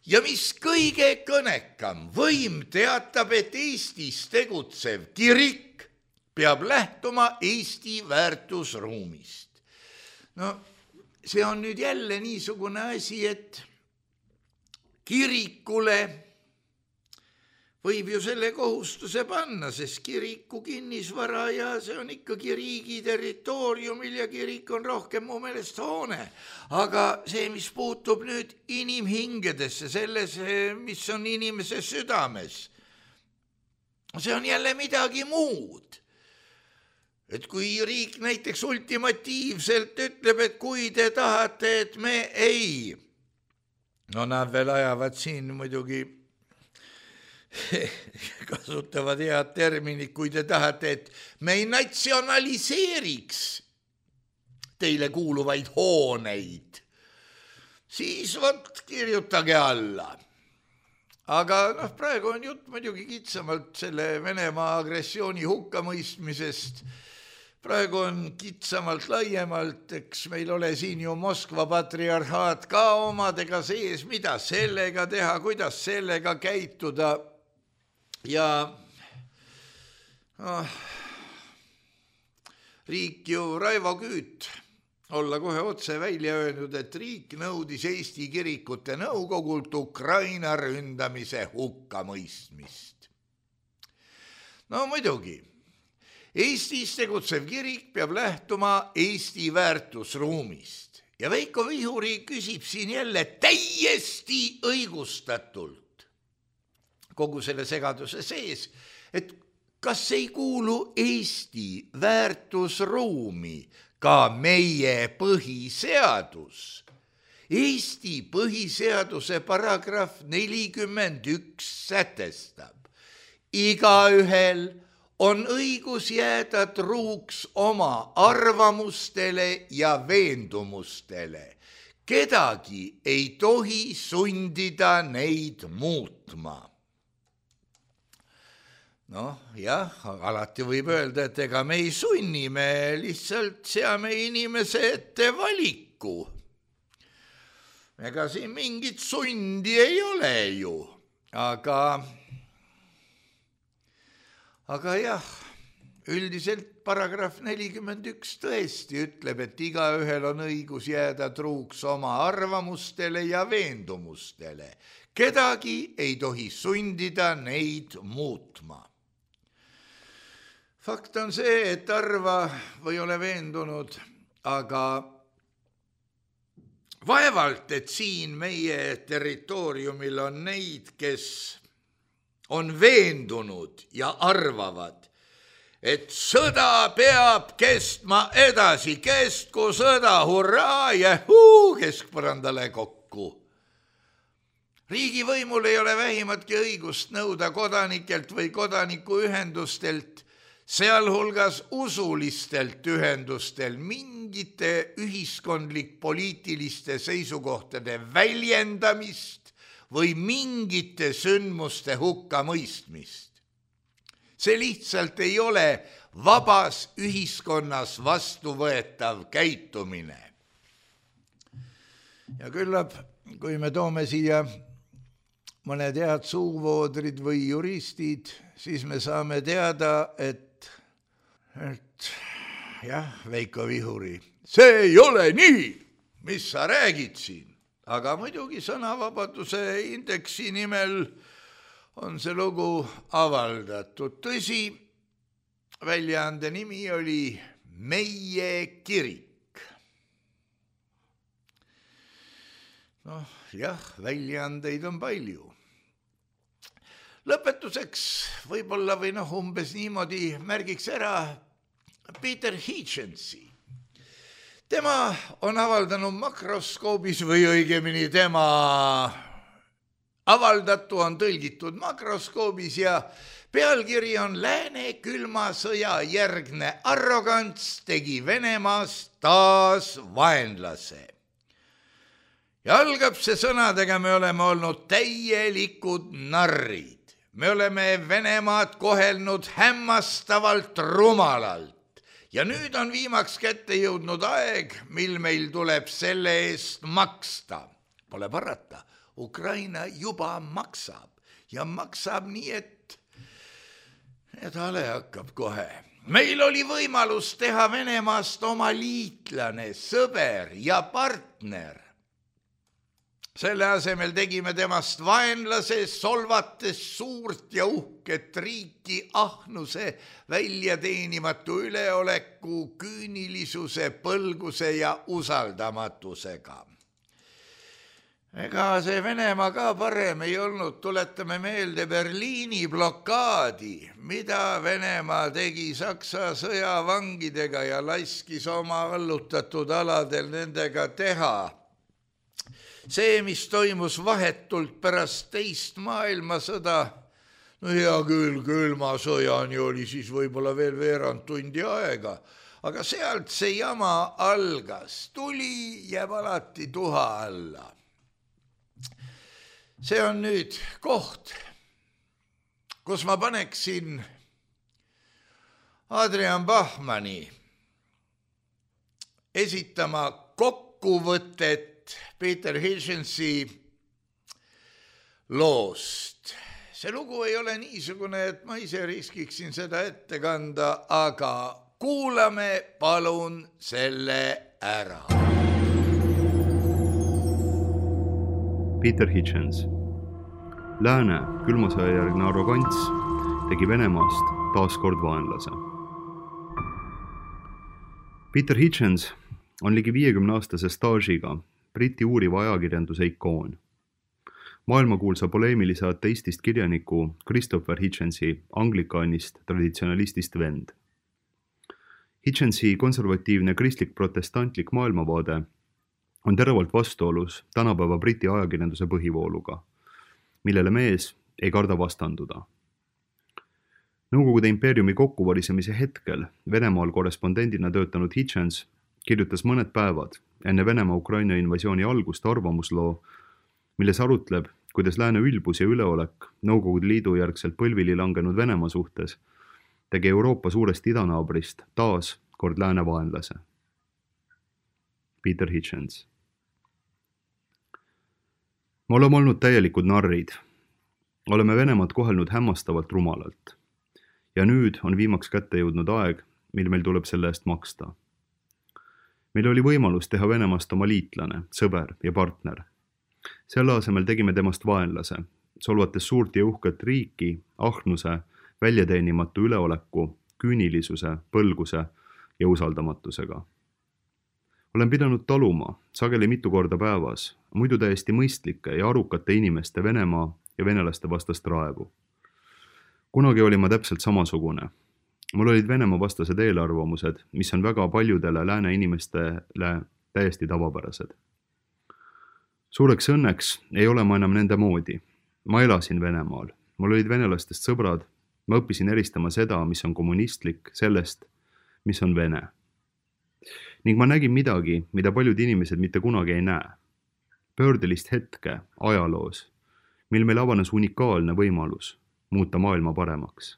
Ja mis kõige kõnekam, võim teatab, et Eestis tegutsev kirik peab lähtuma Eesti väärtusruumist. See on nüüd jälle niisugune asi, et kirikule võib ju selle kohustuse panna, sest kiriku kinnisvara ja see on ikkagi riigi territooriumil ja kirik on rohkem mu meelest hoone. Aga see, mis puutub nüüd inimhingedesse, selles, mis on inimese südames, see on jälle midagi muud. Et kui riik näiteks ultimatiivselt ütleb, et kui te tahate, et me ei, nad veel ajavad siin muidugi kasutavad head terminid, kui te tahate, et me ei natsionaliseeriks teile kuuluvaid hooneid, siis kirjutage alla. Aga praegu on jutt muidugi kitsamalt selle Venemaa agressiooni hukkamõistmisest. Praegu on kitsamalt laiemalt, eks meil ole siin ju Moskva patriarhaat ka omadega sees, mida sellega teha, kuidas sellega käituda. Ja riik ju Raivo Küüt olla kohe otse välja öelnud, et riik nõudis Eesti kirikute nõukogult Ukraina ründamise hukkamõistmist. Muidugi, Eestis tegutsev kirik peab lähtuma Eesti väärtusruumist ja Veiko Vihuri küsib siin jälle täiesti õigustatult kogu selle segaduse sees, et kas ei kuulu Eesti väärtusruumi ka meie põhiseadus. Eesti põhiseaduse paragrahv 41 sätestab, igaühel on õigus jääda truuks oma arvamustele ja veendumustele. Kedagi ei tohi sundida neid muutma. Jah, alati võib öelda, et ega me ei sunni, me lihtsalt seame inimese ette valiku. Ega siin mingit sundi ei ole ju, aga jah, üldiselt paragrahv 41 tõesti ütleb, et igaühel on õigus jääda truuks oma arvamustele ja veendumustele. Kedagi ei tohi sundida neid muutma. Fakt on see, et arva või ole veendunud, aga vaevalt, et siin meie territooriumil on neid, kes on veendunud ja arvavad, et sõda peab kestma edasi, kestku sõda, hurraa ja keskpõrandale kokku. Riigivõimul ei ole vähimatki õigust nõuda kodanikelt või kodanikuühendustelt, sealhulgas usulistelt ühendustel mingite ühiskondlik-poliitiliste seisukohtade väljendamist või mingite sündmuste hukkamõistmist. See lihtsalt ei ole vabas ühiskonnas vastuvõetav käitumine. Ja küllap, kui me toome siia mõned head suuvoodrid või juristid, siis me saame teada, et jah, Veiko Vihuri, see ei ole nii, mis sa räägid siin. Aga muidugi sõnavabaduse indeksi nimel on see lugu avaldatud. Tõsi, väljaande nimi oli Meie kirik. Jah, väljaandeid on palju. Lõpetuseks võib-olla või umbes niimoodi märgiks ära Peter Hitchensi. Tema on avaldanud makroskoobis või õigemini tema avaldatu on tõlgitud makroskoobis ja pealkiri on Lääne külma sõja järgne arrogants tegi Venemaast taas vaenlase. Ja algab see sõnadega, me oleme olnud täielikud narrid. Me oleme Venemaad kohelnud hämmastavalt rumalalt ja nüüd on viimaks kätte jõudnud aeg, mil meil tuleb selle eest maksta. Pole parata, Ukraina juba maksab ja maksab nii, et hale hakkab kohe. Meil oli võimalus teha Venemaast oma liitlane, sõber ja partner. Selle asemel tegime temast vaenlase, solvates suurt ja uhket riiki ahnuse, väljateenimatu üleoleku, küünilisuse, põlguse ja usaldamatusega. Ega see Venemaa ka parem ei olnud, tuletame meelde Berliini blokaadi, mida Venemaa tegi Saksa sõjavangidega ja laskis oma allutatud aladel nendega teha. See, mis toimus vahetult pärast teist maailmasõda, hea küll, külma sõjani oli siis võib-olla veel veerand tundi aega, aga sealt see jama algas, tuli jääb alati tuha alla. See on nüüd koht, kus ma paneksin Adrian Bachmanni esitama kokkuvõtet Peter Hitchensi loost. See lugu ei ole niisugune, et ma ise riskiksin seda ette kanda, aga kuulame palun selle ära. Peter Hitchens. Lääne külmasõjajärgne arrogants tegi Venemaast taaskord vaenlase. Peter Hitchens on ligi 50-aastase staažiga Briti uuriva ajakirjanduse ikoon. Maailmakuulsa poleemilise ateistist kirjaniku Christopher Hitchensi anglikaanist traditsionalistist vend. Hitchensi konservatiivne kristlik-protestantlik maailmavaade on teravalt vastuolus tänapäeva Briti ajakirjanduse põhivooluga, millele mees ei karda vastanduda. Nõukogude impeeriumi kokkuvarisemise hetkel Venemaal korrespondendina töötanud Hitchens kirjutas mõned päevad enne Venemaa-Ukraina invasiooni algust arvamusloo, milles arutleb, kuidas lääne ülbus ja üleolek Nõukogude Liidu järgselt põlvili langenud Venemaa suhtes tegi Euroopa suurest idanaabrist taas kord lääne vaenlase. Peter Hitchens. Me oleme olnud täielikud narrid. Oleme Venemaad kohelnud hämmastavalt rumalalt. Ja nüüd on viimaks kätte jõudnud aeg, mil meil tuleb selle eest maksta. Meil oli võimalus teha Venemaast oma liitlane, sõber ja partner. Selle asemel tegime temast vaenlase, solvates suurt ja uhket riiki, ahnuse, väljateenimatu üleoleku, küünilisuse, põlguse ja usaldamatusega. Olen pidanud taluma, sageli mitu korda päevas, muidu täiesti mõistlike ja arukate inimeste Venemaa ja venelaste vastast raevu. Kunagi oli ma täpselt samasugune. Mul olid Venemaa vastased eelarvamused, mis on väga paljudele lääne inimestele täiesti tavapärased. Suureks õnneks ei ole ma enam nende moodi. Ma elasin Venemaal, mul olid venelastest sõbrad, ma õppisin eristama seda, mis on kommunistlik, sellest, mis on vene. Ning ma nägin midagi, mida paljud inimesed mitte kunagi ei näe. Pöördelist hetke ajaloos, mil meil avanes unikaalne võimalus muuta maailma paremaks.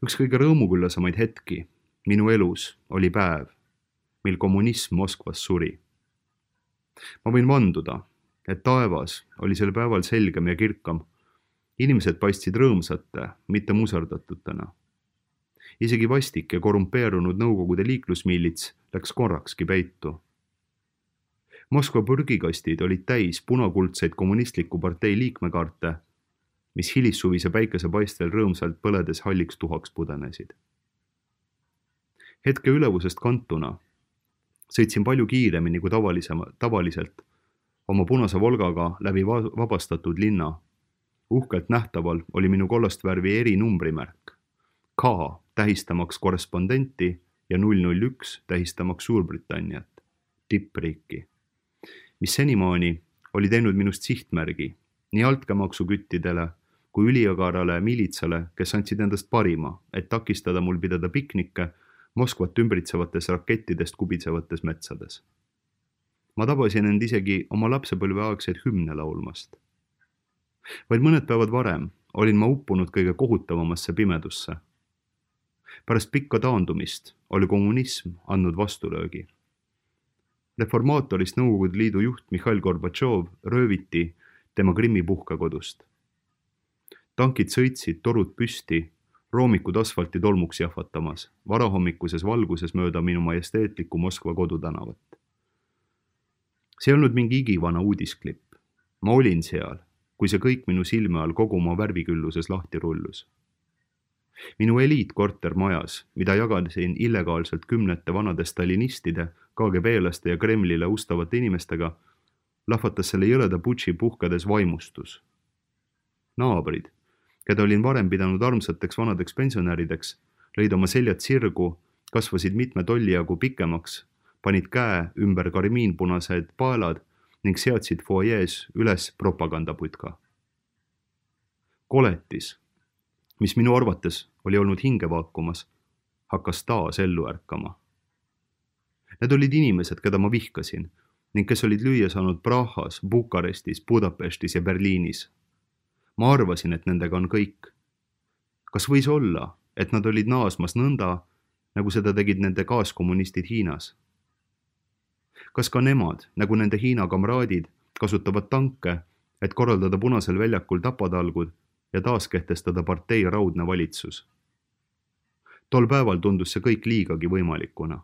Üks kõige rõõmuküllasemaid hetki minu elus oli päev, mil kommunism Moskvas suri. Ma võin vanduda, et taevas oli sel päeval selgem ja kirkam. Inimesed paistsid rõõmsate, mitte muserdatutena. Isegi vastik ja korrumpeerunud Nõukogude liiklusmiilits läks korrakski peitu. Moskva purgikastid olid täis punakuldseid kommunistliku partei liikmekaarte, mis hilissuvise päikesepaistel rõõmsalt põledes halliks tuhaks pudenesid. Hetke ülevusest kantuna sõitsin palju kiiremini kui tavaliselt oma punase Volgaga läbi vabastatud linna. Uhkelt nähtaval oli minu kollast värvi erinumbrimerk. K tähistamaks korrespondenti ja 001 tähistamaks Suurbritanniat, tippriiki, mis senimaani oli teinud minust sihtmärgi nii altkäemaksuküttidele kui üliagarale militsale, kes andsid endast parima, et takistada mul pidada piknikke Moskvat ümbritsevates rakettidest kubitsevates metsades. Ma tabasin end isegi oma lapsepõlveaegseid hümne laulmast. Vaid mõned päevad varem olin ma uppunud kõige kohutavamasse pimedusse. Pärast pikka taandumist oli kommunism andnud vastulöögi. Reformaatorist Nõukogude Liidu juht Mihhail Gorbatšov rööviti tema Krimmi puhkekodust. Tankid sõitsid torud püsti, roomikud asfalti tolmuks jahvatamas, varahommikuses valguses mööda minu majesteetliku Moskva kodutänavat. See ei olnud mingi igivana uudisklipp. Ma olin seal, kui see kõik minu silme all kogu oma värvikülluses lahti rullus. Minu eliitkorter majas, mida jagasin illegaalselt kümnete vanade stalinistide, KGB-laste ja Kremlile ustavate inimestega, lahvatas selle jõleda putši puhkades vaimustus. Naabrid, keda olin varem pidanud armsateks vanadeks pensionärideks, lõid oma seljad sirgu, kasvasid mitme tolli jagu pikemaks, panid käe ümber karmiinpunased paelad ning seadsid foajees üles propagandaputka. Koletis, mis minu arvates oli olnud hinge vaakumas, hakkas taas ellu ärkama. Need olid inimesed, keda ma vihkasin ning kes olid lüüa saanud Prahas, Bukarestis, Budapestis ja Berliinis. Ma arvasin, et nendega on kõik. Kas võis olla, et nad olid naasmas nõnda, nagu seda tegid nende kaaskommunistid Hiinas? Kas ka nemad, nagu nende Hiina kamraadid, kasutavad tanke, et korraldada Punasel väljakul tapatalgud ja taas kehtestada partei raudne valitsus? Tol päeval tundus see kõik liigagi võimalikuna.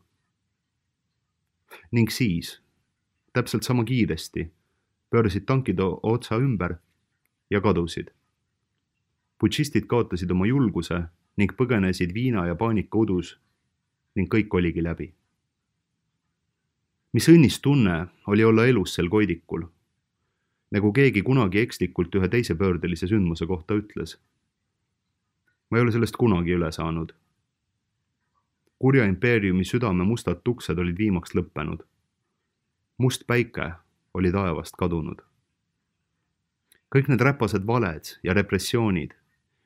Ning siis, täpselt sama kiiresti, pöörasid tankid otsa ümber ja kadusid. Putšistid kaotasid oma julguse ning põgenesid viina ja paanika udus ning kõik oligi läbi. Mis õnnistunne oli olla elus sel koidikul, nagu keegi kunagi ekslikult ühe teise pöördelise sündmuse kohta ütles. Ma ei ole sellest kunagi üle saanud. Kurja impeeriumi südame mustad tuksed olid viimaks lõppenud. Must päike oli taevast kadunud. Kõik need räpased valed ja repressioonid,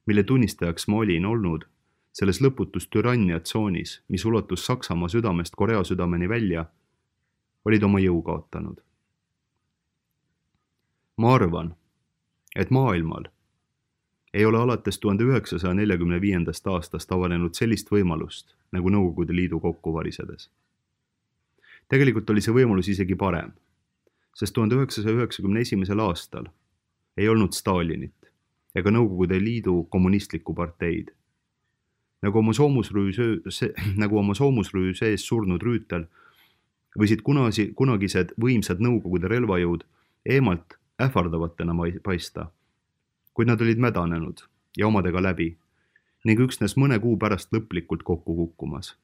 mille tunnistajaks ma olin olnud selles lõputus türanniatsoonis, mis ulatus Saksamaa südamest Korea südameni välja, olid oma jõu kaotanud. Ma arvan, et maailmal ei ole alates 1945. aastast avanenud sellist võimalust nagu Nõukogude Liidu kokku varisedes. Tegelikult oli see võimalus isegi parem, sest 1991. aastal ei olnud Stalinit ega Nõukogude Liidu kommunistlikku parteid. Nagu oma soomusrüü sees surnud rüütel võisid kunagised võimsad Nõukogude relvajõud eemalt ähvardavatena paista, kuid nad olid mädanenud ja omadega läbi ning üksnes mõne kuu pärast lõplikult kokku kukkumas.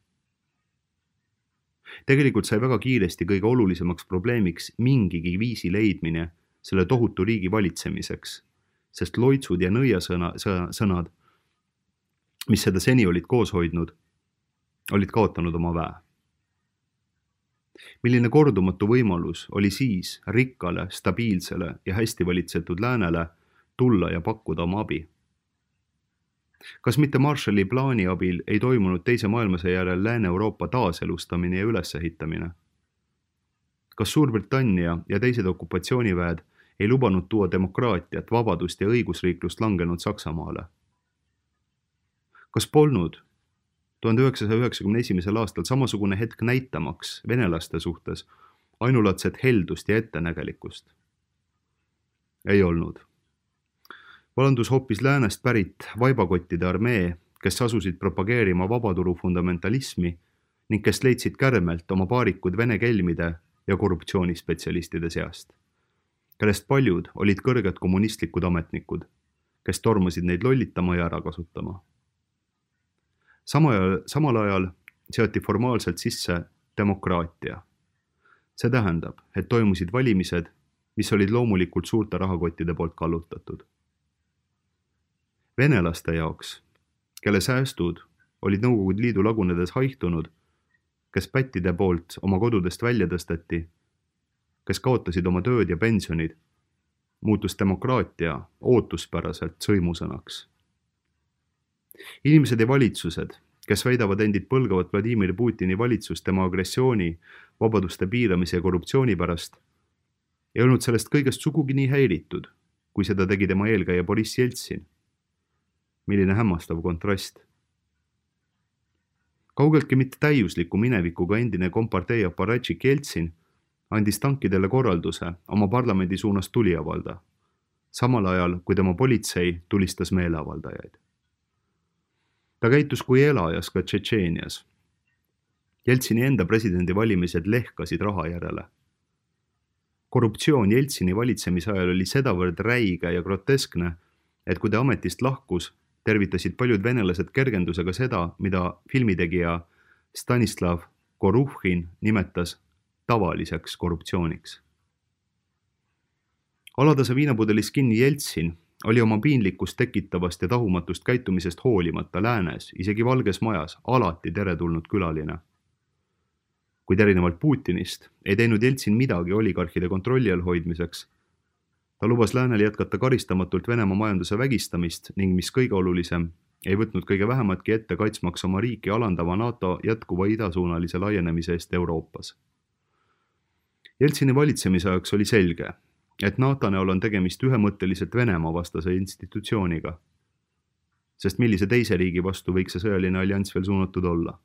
Tegelikult sai väga kiiresti kõige olulisemaks probleemiks mingigi viisi leidmine selle tohutu riigi valitsemiseks, sest loitsud ja nõiasõnad, mis seda seni olid koos hoidnud, olid kaotanud oma väe. Milline kordumatu võimalus oli siis rikkale, stabiilsele ja hästi valitsetud läänele tulla ja pakkuda oma abi. Kas mitte Marshalli plaani abil ei toimunud teise maailmasõja järel Lääne-Euroopa taaselustamine ja ülesehitamine? Kas Suurbritannia ja teised okupatsiooniväed ei lubanud tuua demokraatiat, vabadust ja õigusriiklust langenud Saksamaale? Kas polnud 1991. aastal samasugune hetk näitamaks venelaste suhtes ainulaadset heldust ja ettenägelikkust? Ei olnud. Valandus hoopis läänest pärit vaibakottide armee, kes asusid propageerima vabaturu fundamentalismi ning kes leidsid kärmelt oma paarikud vene kelmide ja korruptsioonispetsialistide seast, kellest paljud olid kõrged kommunistlikud ametnikud, kes tormasid neid lollitama ja ära kasutama. Samal ajal seati formaalselt sisse demokraatia. See tähendab, et toimusid valimised, mis olid loomulikult suurte rahakottide poolt kallutatud. Venelaste jaoks, kelle säästud olid Nõukogude Liidu lagunedes haihtunud, kes pättide poolt oma kodudest välja tõsteti, kes kaotasid oma tööd ja pensionid, muutus demokraatia ootuspäraselt sõimusõnaks. Inimesed ja valitsused, kes väidavad endid põlgavat Vladimir Putini valitsust tema agressiooni, vabaduste piiramise ja korruptsiooni pärast, ei olnud sellest kõigest sugugi nii häiritud, kui seda tegi tema eelkäija Boriss Jeltsin. Milline hämmastav kontrast. Kaugeltki mitte täiusliku minevikuga endine kompartei aparatšik Jeltsin andis tankidele korralduse oma parlamendi suunas tuli avalda, samal ajal kui tema politsei tulistas meeleavaldajaid. Ta käitus kui elajas ka Tšetšeenias. Jeltsini enda presidendivalimised lehkasid raha järele. Korruptsioon Jeltsini valitsemisajal oli sedavõrd räige ja groteskne, et kui ta ametist lahkus, tervitasid paljud venelased kergendusega seda, mida filmitegija Stanislav Goruhhin nimetas tavaliseks korruptsiooniks. Alatase viinapudelis kinni Jeltsin oli oma piinlikkust tekitavast ja tahumatust käitumisest hoolimata läänes, isegi Valges Majas, alati teretulnud külaline. Kuid erinevalt Putinist ei teinud Jeltsin midagi oligarhide kontrolli all hoidmiseks. Ta lubas läänel jätkata karistamatult Venemaa majanduse vägistamist ning mis kõige olulisem, ei võtnud kõige vähematki ette kaitsmaks oma riiki alandava NATO jätkuva idasuunalise laienemise eest Euroopas. Jeltsini valitsemisajaks oli selge, et NATO näol on tegemist ühemõtteliselt Venemaa vastase institutsiooniga, sest millise teise riigi vastu võiks see sõjaline allianss veel suunatud olla.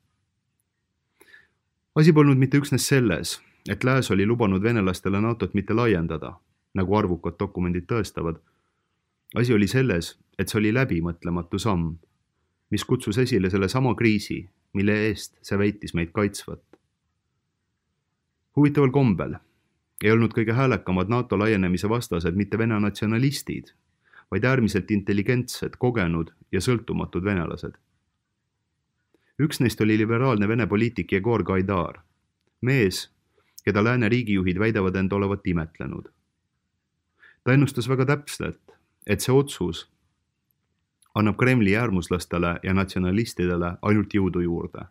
Asi polnud mitte üksnes selles, et lääs oli lubanud venelastele NATOt mitte laiendada, nagu arvukad dokumendid tõestavad. Asi oli selles, et see oli läbimõtlematu samm, mis kutsus esile selle sama kriisi, mille eest see väitis meid kaitsvat. Huvitaval kombel ei olnud kõige häälekamad NATO laienemise vastased mitte vene natsionalistid, vaid äärmiselt intelligentsed, kogenud ja sõltumatud venelased. Üks neist oli liberaalne vene poliitik Jegor Gaidar, mees, keda lääne riigijuhid väidavad end olevat imetlenud. Ta ennustas väga täpselt, et see otsus annab Kremli äärmuslastele ja natsionalistidele ainult jõudu juurde.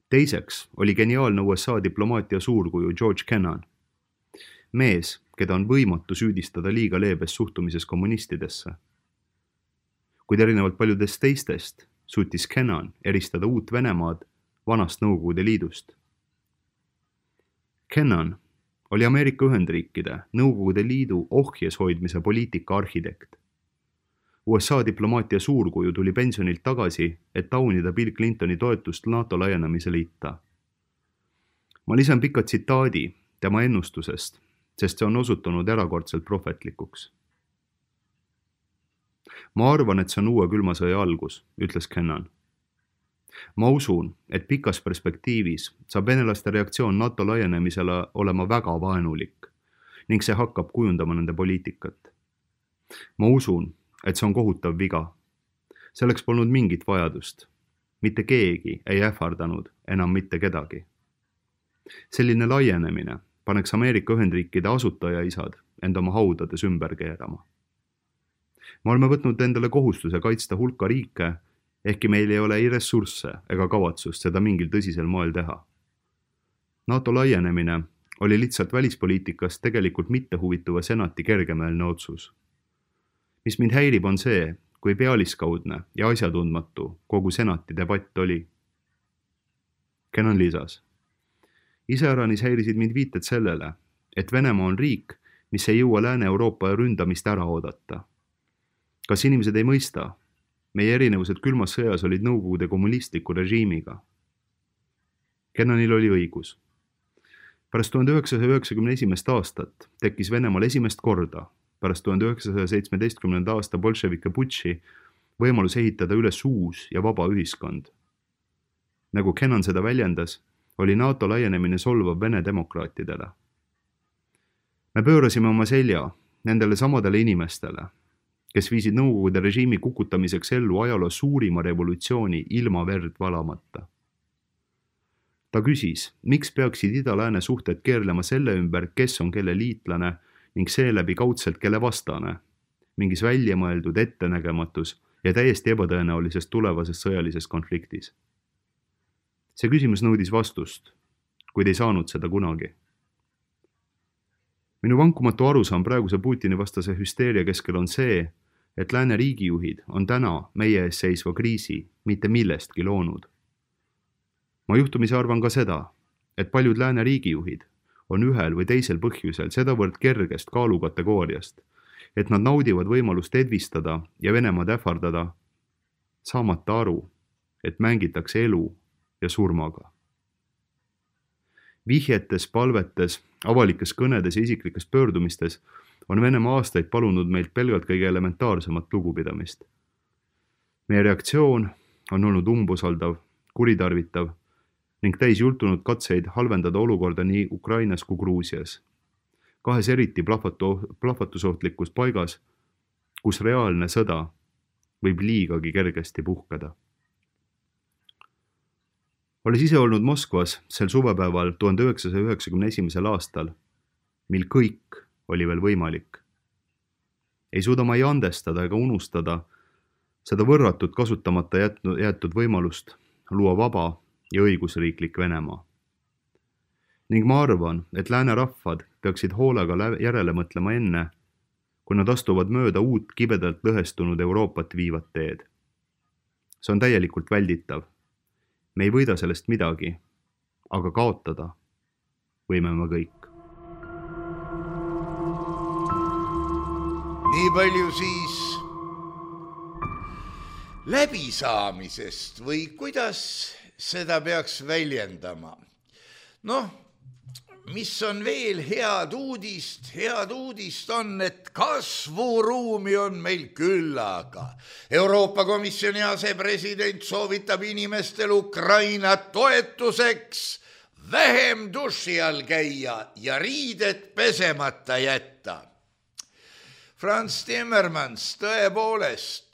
Teiseks oli geniaalne USA diplomaatia suurkuju George Kennan, mees, keda on võimatu süüdistada liiga leebes suhtumises kommunistidesse. Kuid erinevalt paljudest teistest suutis Kennan eristada uut Venemaad vanast Nõukogude Liidust. Kennan oli Ameerika Ühendriikide Nõukogude Liidu ohjes hoidmise poliitika arhitekt. USA diplomaatia suurkuju tuli pensionilt tagasi, et taunida Bill Clintoni toetust NATO laienemise liita. Ma lisan pika tsitaadi tema ennustusest, sest see on osutunud erakordselt prohvetlikuks. Ma arvan, et see on uue külma sõja algus, ütles Kennan. Ma usun, et pikas perspektiivis saab venelaste reaktsioon NATO laienemisele olema väga vaenulik ning see hakkab kujundama nende poliitikat. Ma usun, et see on kohutav viga. Selleks polnud mingit vajadust. Mitte keegi ei ähvardanud enam mitte kedagi. Selline laienemine paneks Ameerika Ühendriikide asutajaisad end oma haudades ümber keerama. Me oleme võtnud endale kohustuse kaitsta hulka riike, ehkki meil ei ole ei ressursse ega kavatsust seda mingil tõsisel moel teha. NATO laienemine oli lihtsalt välispoliitikast tegelikult mittehuvituva senati kergemeelne otsus. Mis mind häirib on see, kui pealiskaudne ja asjatundmatu kogu senati debatt oli. Kennan lisas. Iseäranis häirisid mind viited sellele, et Venemaa on riik, mis ei jõua Lääne-Euroopa ründamist ära oodata. Kas inimesed ei mõista? Meie erinevused külmas sõjas olid Nõukogude kommunistliku režiimiga. Kennanil oli õigus. Pärast 1991. aastat tekkis Venemaal esimest korda, pärast 1917. aasta bolševike putši, võimalus ehitada üles uus ja vaba ühiskond. Nagu Kennan seda väljendas, oli NATO laienemine solvav Vene demokraatidele. Me pöörasime oma selja nendele samadele inimestele, kes viisid Nõukogude režiimi kukutamiseks ellu ajaloo suurima revolutsiooni ilma verd valamata. Ta küsis, miks peaksid ida-lääne suhted keerlema selle ümber, kes on kelle liitlane ning seeläbi kaudselt kelle vastane, mingis väljamõeldud ettenägematus ja täiesti ebatõenäolises tulevases sõjalises konfliktis. See küsimus nõudis vastust, kuid ei saanud seda kunagi. Minu vankumatu arusaam praeguse Putini vastase hüsteeria keskel on see, et lääne riigijuhid on täna meie ees seisva kriisi mitte millestki loonud. Ma juhtumisi arvan ka seda, et paljud lääne riigijuhid on ühel või teisel põhjusel sedavõrd kergest kaalukategooriast, et nad naudivad võimalust edvistada ja Venemaad ähvardada, saamata aru, et mängitakse elu ja surmaga. Vihjetes, palvetes, avalikes kõnedes ja isiklikes pöördumistes on Venemaa aastaid palunud meilt pelgalt kõige elementaarsemat lugupidamist. Meie reaktsioon on olnud umbusaldav, kuritarvitav ning täis jultunud katseid halvendada olukorda nii Ukrainas kui Gruusias. Kahes eriti plahvatusohtlikus paigas, kus reaalne sõda võib liigagi kergesti puhkeda. Olles ise olnud Moskvas sel suvepäeval 1991. aastal, mil kõik oli veel võimalik. Ei suuda ma ei andestada ega unustada seda võrratut kasutamata jäetud võimalust luua vaba ja õigusriiklik Venemaa. Ning ma arvan, et lääne rahvad peaksid hoolega järele mõtlema enne, kui nad astuvad mööda uut kibedalt lõhestunud Euroopat viivat teed. See on täielikult välditav. Me ei võida sellest midagi, aga kaotada võime me kõik. Nii palju siis läbisaamisest või kuidas seda peaks väljendama. Mis on veel head uudist? Head uudist on, et kasvuruumi on meil küllaga. Euroopa Komisjoni asepresident soovitab inimestel Ukraina toetuseks vähem duši all käia ja riided pesemata jätta. Frans Timmermans tõepoolest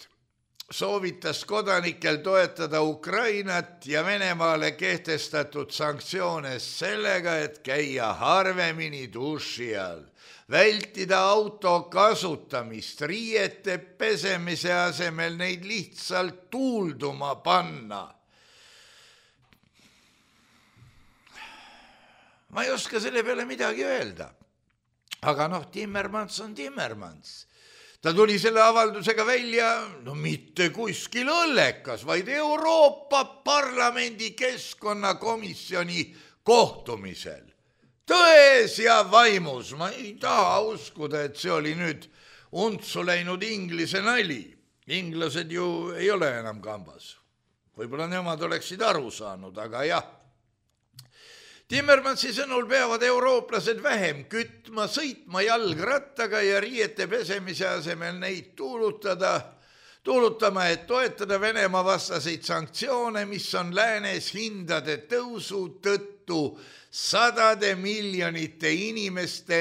soovitas kodanikel toetada Ukrainat ja Venemaale kehtestatud sanktsioone sellega, et käia harvemini duši all, vältida auto kasutamist, riiete pesemise asemel neid lihtsalt tuulduma panna. Ma ei oska selle peale midagi öelda, aga Timmermans on Timmermans. Ta tuli selle avaldusega välja, mitte kuskil õllekas, vaid Euroopa Parlamendi keskkonnakomisjoni kohtumisel. Tões ja vaimus, ma ei taha uskuda, et see oli nüüd untsu läinud inglise nali. Inglased ju ei ole enam kambas. Võib-olla nemad oleksid aru saanud, aga jah. Timmermansi sõnul peavad eurooplased vähem kütma, sõitma jalgrattaga ja riiete pesemise asemel neid tuulutama, et toetada Venemaa vastaseid sanktsioone, mis on läänes hindade tõusu tõttu sadade miljonite inimeste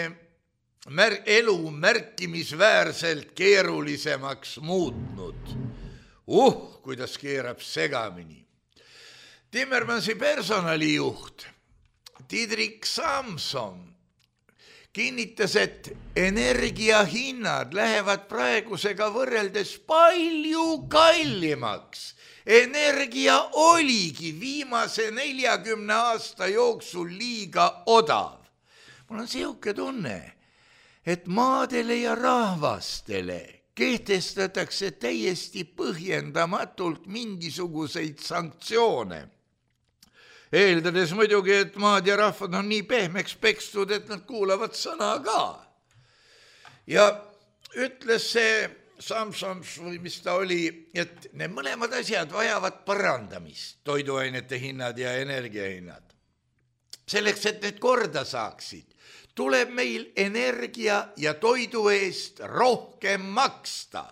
elu märkimisväärselt keerulisemaks muutnud. Kuidas keerab segamini. Timmermansi personalijuht Diederik Samsom kinnitas, et energiahinnad lähevad praegusega võrreldes palju kallimaks. Energia oligi viimase 40 aasta jooksul liiga odav. Mul on siuke tunne, et maadele ja rahvastele kehtestatakse täiesti põhjendamatult mingisuguseid sanktsioone. Eeldades muidugi, et maad ja rahvad on nii pehmeks pekstud, et nad kuulavad sõna ka. Ja ütles see Samsons või mis ta oli, et need mõlemad asjad vajavad parandamist, toiduainete hinnad ja energiahinnad. Selleks, et need korda saaksid, tuleb meil energia ja toidu eest rohkem maksta.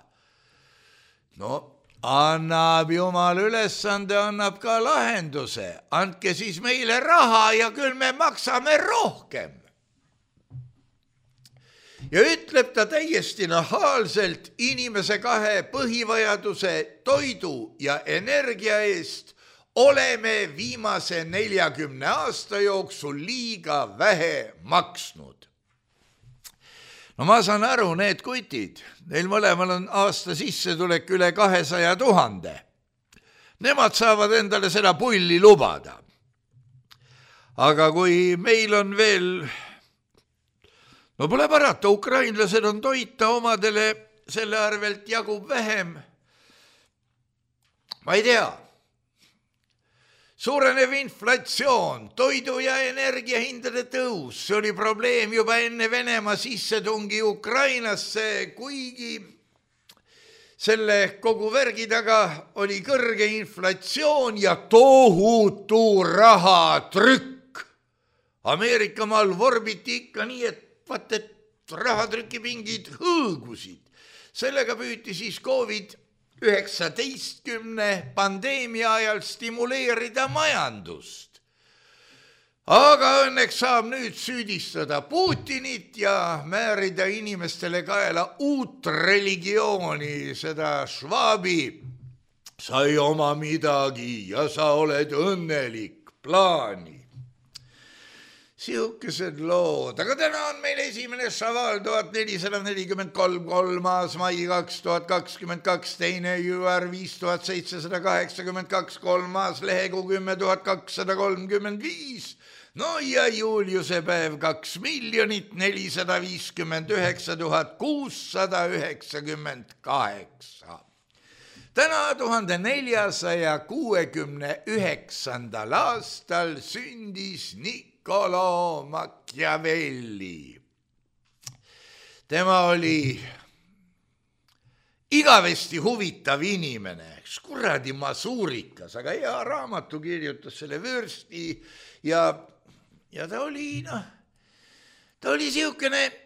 No, annab Jumal ülesande, annab ka lahenduse. Andke siis meile raha ja küll me maksame rohkem. Ja ütleb ta täiesti nahaalselt inimese kahe põhivajaduse toidu ja energia eest oleme viimase 40 aasta jooksul liiga vähe maksnud. No ma saan aru, need kutid, neil mõlemal on aasta sissetulek üle 200 000. Nemad saavad endale seda pulli lubada. Aga kui meil on veel, no pole parata, ukrainlased on toita omadele, selle arvelt jagub vähem. Ma ei tea. Suurenev inflatsioon, toidu ja energiahindade tõus, see oli probleem juba enne Venemaa sissetungi Ukrainasse, kuigi selle kogu värgi taga oli kõrge inflatsioon ja tohutu rahatrükk. Ameerikamaal vorbiti ikka nii, et rahatrükipingid hõõgusid. Sellega püüti siis COVID-19 pandeemia ajal stimuleerida majandust. Aga õnneks saab nüüd süüdistada Putinit ja määrida inimestele kaela uut religiooni, seda Schwabi. Sa ei oma midagi ja sa oled õnnelik plaani. Siukesed lood, aga täna on meil esimene Šaval 1443, 3. mai 2022, teine jüär 5782, 3. lehekuu 10 235, no ja Juliuse päev 2 459 698. Täna 1469. aastal sündis Niccolo Machiavelli. Tema oli igavesti huvitav inimene, kuradi masuurikas, aga hea raamatu kirjutas selle vürsti ja ta oli siukene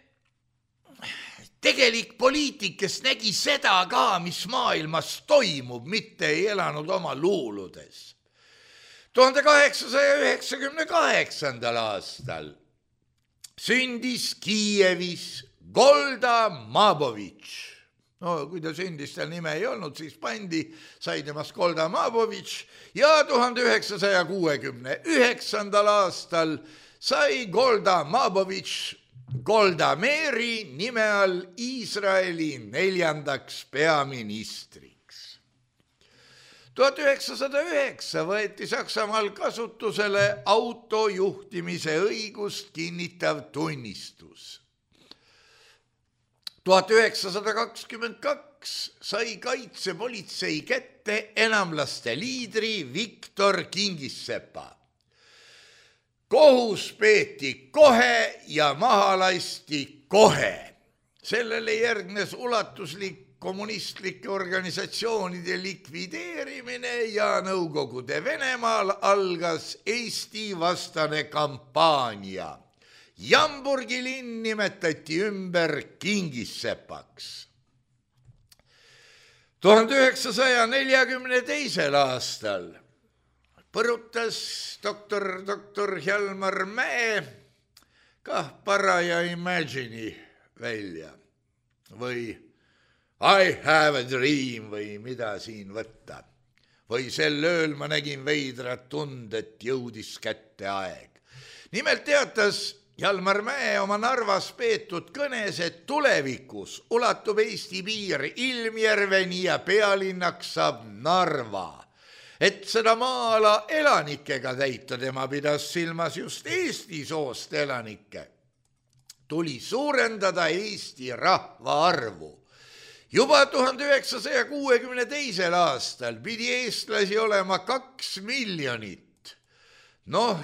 tegelik poliitik, kes nägi seda ka, mis maailmas toimub, mitte ei elanud oma luuludes. 1898. aastal sündis Kiievis Golda Mabovitš. No kui ta sündis, tal nime ei olnud, siis sai temast Golda Mabovitš ja 1969. aastal sai Golda Mabovitš Golda Meiri nime all Iisraeli 4. peaministriks. 1909 võeti Saksamaal kasutusele autojuhtimise õigust kinnitav tunnistus. 1922 sai kaitsepolitsei kätte enamlaste liidri Viktor Kingissepa. Kohus peeti kohe ja maha lasti kohe. Sellele järgnes ulatuslik kommunistlike organisatsioonide likvideerimine ja Nõukogude Venemaal algas Eesti vastane kampaania. Jamburgi linn nimetati ümber Kingissepaks. 1942. aastal põrutas doktor Hjalmar Mäe kah paraja Imagine'i välja või I have a dream või mida siin võtta. Või sel ööl ma nägin veidrat tund, et jõudis kätte aeg. Nimelt teatas Jalmar Mäe oma Narvas peetud kõnes, et tulevikus ulatub Eesti piir Ilmjärveni ja pealinnaks saab Narva. Et seda maa-ala elanikega täita, tema pidas silmas just Eesti soost elanikke, tuli suurendada Eesti rahvaarvu. Juba 1962. aastal pidi eestlasi olema 2 miljonit.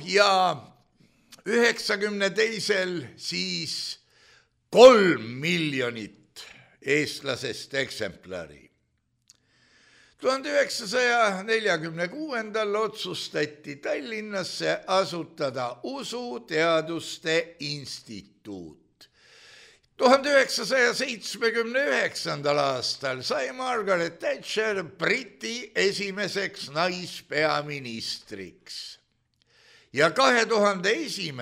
Ja 92. siis 3 miljonit eestlasest eksemplari. 1946. otsustati Tallinnasse asutada Usuteaduste Instituut. 1979. aastal sai Margaret Thatcher Briti esimeseks naispeaministriks. Ja 2001.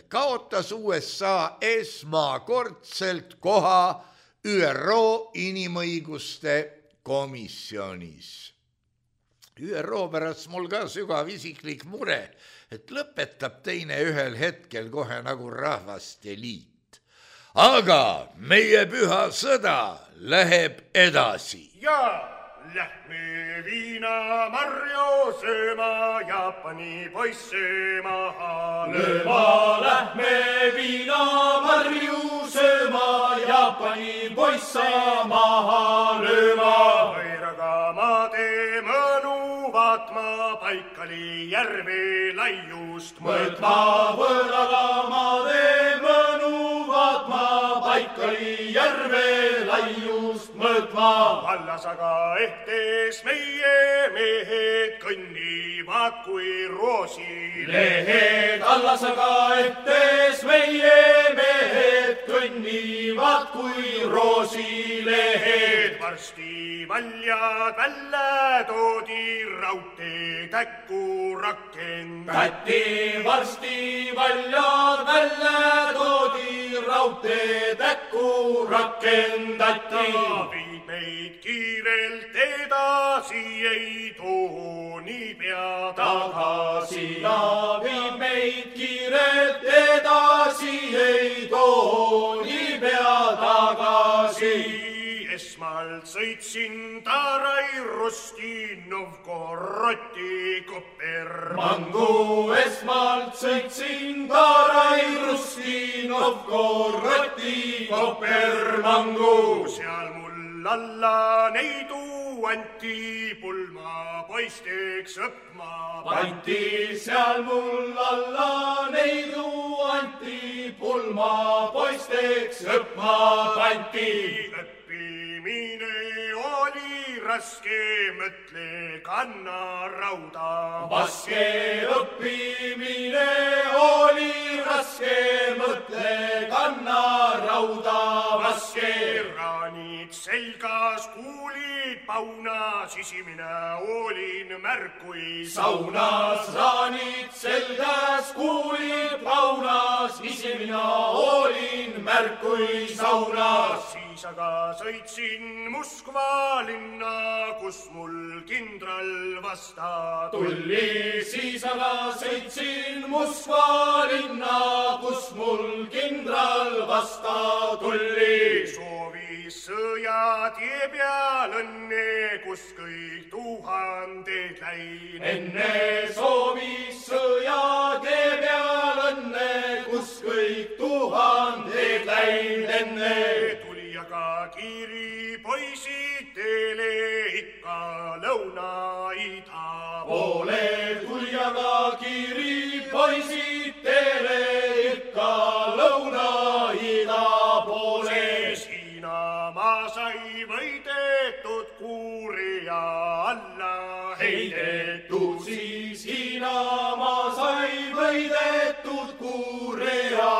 kaotas USA esmakordselt koha ÜRO inimõiguste komisjonis. ÜRO pärast mul ka sügav isiklik mure, et lõpetab teine ühel hetkel kohe nagu Rahvaste Liit. Aga meie püha sõda läheb edasi. Ja lähme viinamarju sööma, Jaapani poisse maha lööma. Lähme viinamarju sööma, Jaapani poisse maha lööma. Võiraga maade mõnu vaatma, Baikali järve laiust mõõtma. Võõraga maade mõnu vaatma, Baikali järve laiust mõõtma. Vallas aga ehtes meie mehed kõnnivad kui roosilehed. Vallas aga ehtes meie mehed kõnnivad kui roosilehed. Varsti valjad välja toodi, raudteed äkku rakendati. Varsti valjad välja toodi, raudteed äkku rakendati. Viid meid kiirelt edasi, ei too niipea tagasi. Viid meid kiirelt edasi, ei too niipea tagasi. Esmalt sõitsin Tarai Rusti Novgorodi Kopermangu. Esmalt sõitsin Tarai Rusti Novgorodi Kopermangu. Seal mul alla neidu anti, pulma poisteks õppma pandi. Seal mul alla neidu anti, pulma poisteks õppma pandi. Õppimine oli raske, mõtle kanna rauda vaske. Õppimine oli raske, mõtle kanna rauda vaske. Raanid selgas, kuulid paunas, isimine olin märkui saunas. Raanid selgas, kuulid paunas, isimine olin märkui saunas. Siis aga sõitsin Moskva linna, kus mul kindral vasta tuli. Siis aga sõitsin Moskva linna, kus mul kindral vasta tuli. Soovis sõjatie peal õnne, kus kõik tuhanded läin. Enne soovis sõjatie peal õnne, kus kõik tuhanded läin. Enne tuli aga kiiri poisid teele ikka lõuna-ida poole. Tuli aga kiiri poisid teele ikka lõuna-ida poole. Hiinamaa sai võidetud, Kuuria alla heidetud. Siis Hiinamaa sai võidetud, Kuuria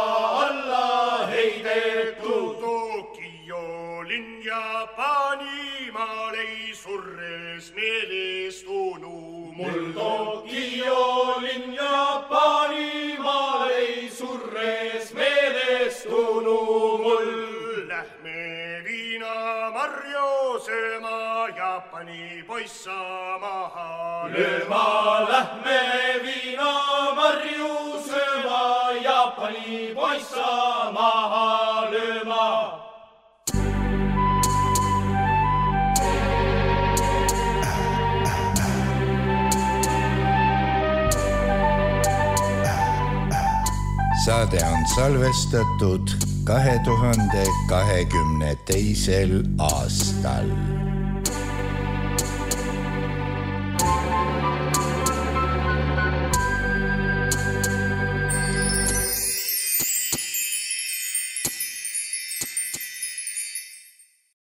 alla heidetud. Tokyo linn Jaapanimaal ei surres meelestunu mul. Tokyo linn Jaapanimaal ei surres meelestunu mul. Lähme viinamarju sööma, Jaapani poissa maha lööma. Lähme viinamarju sööma, Jaapani Jaapani poissa maha lööma. Saade on salvestatud 2022. aastal.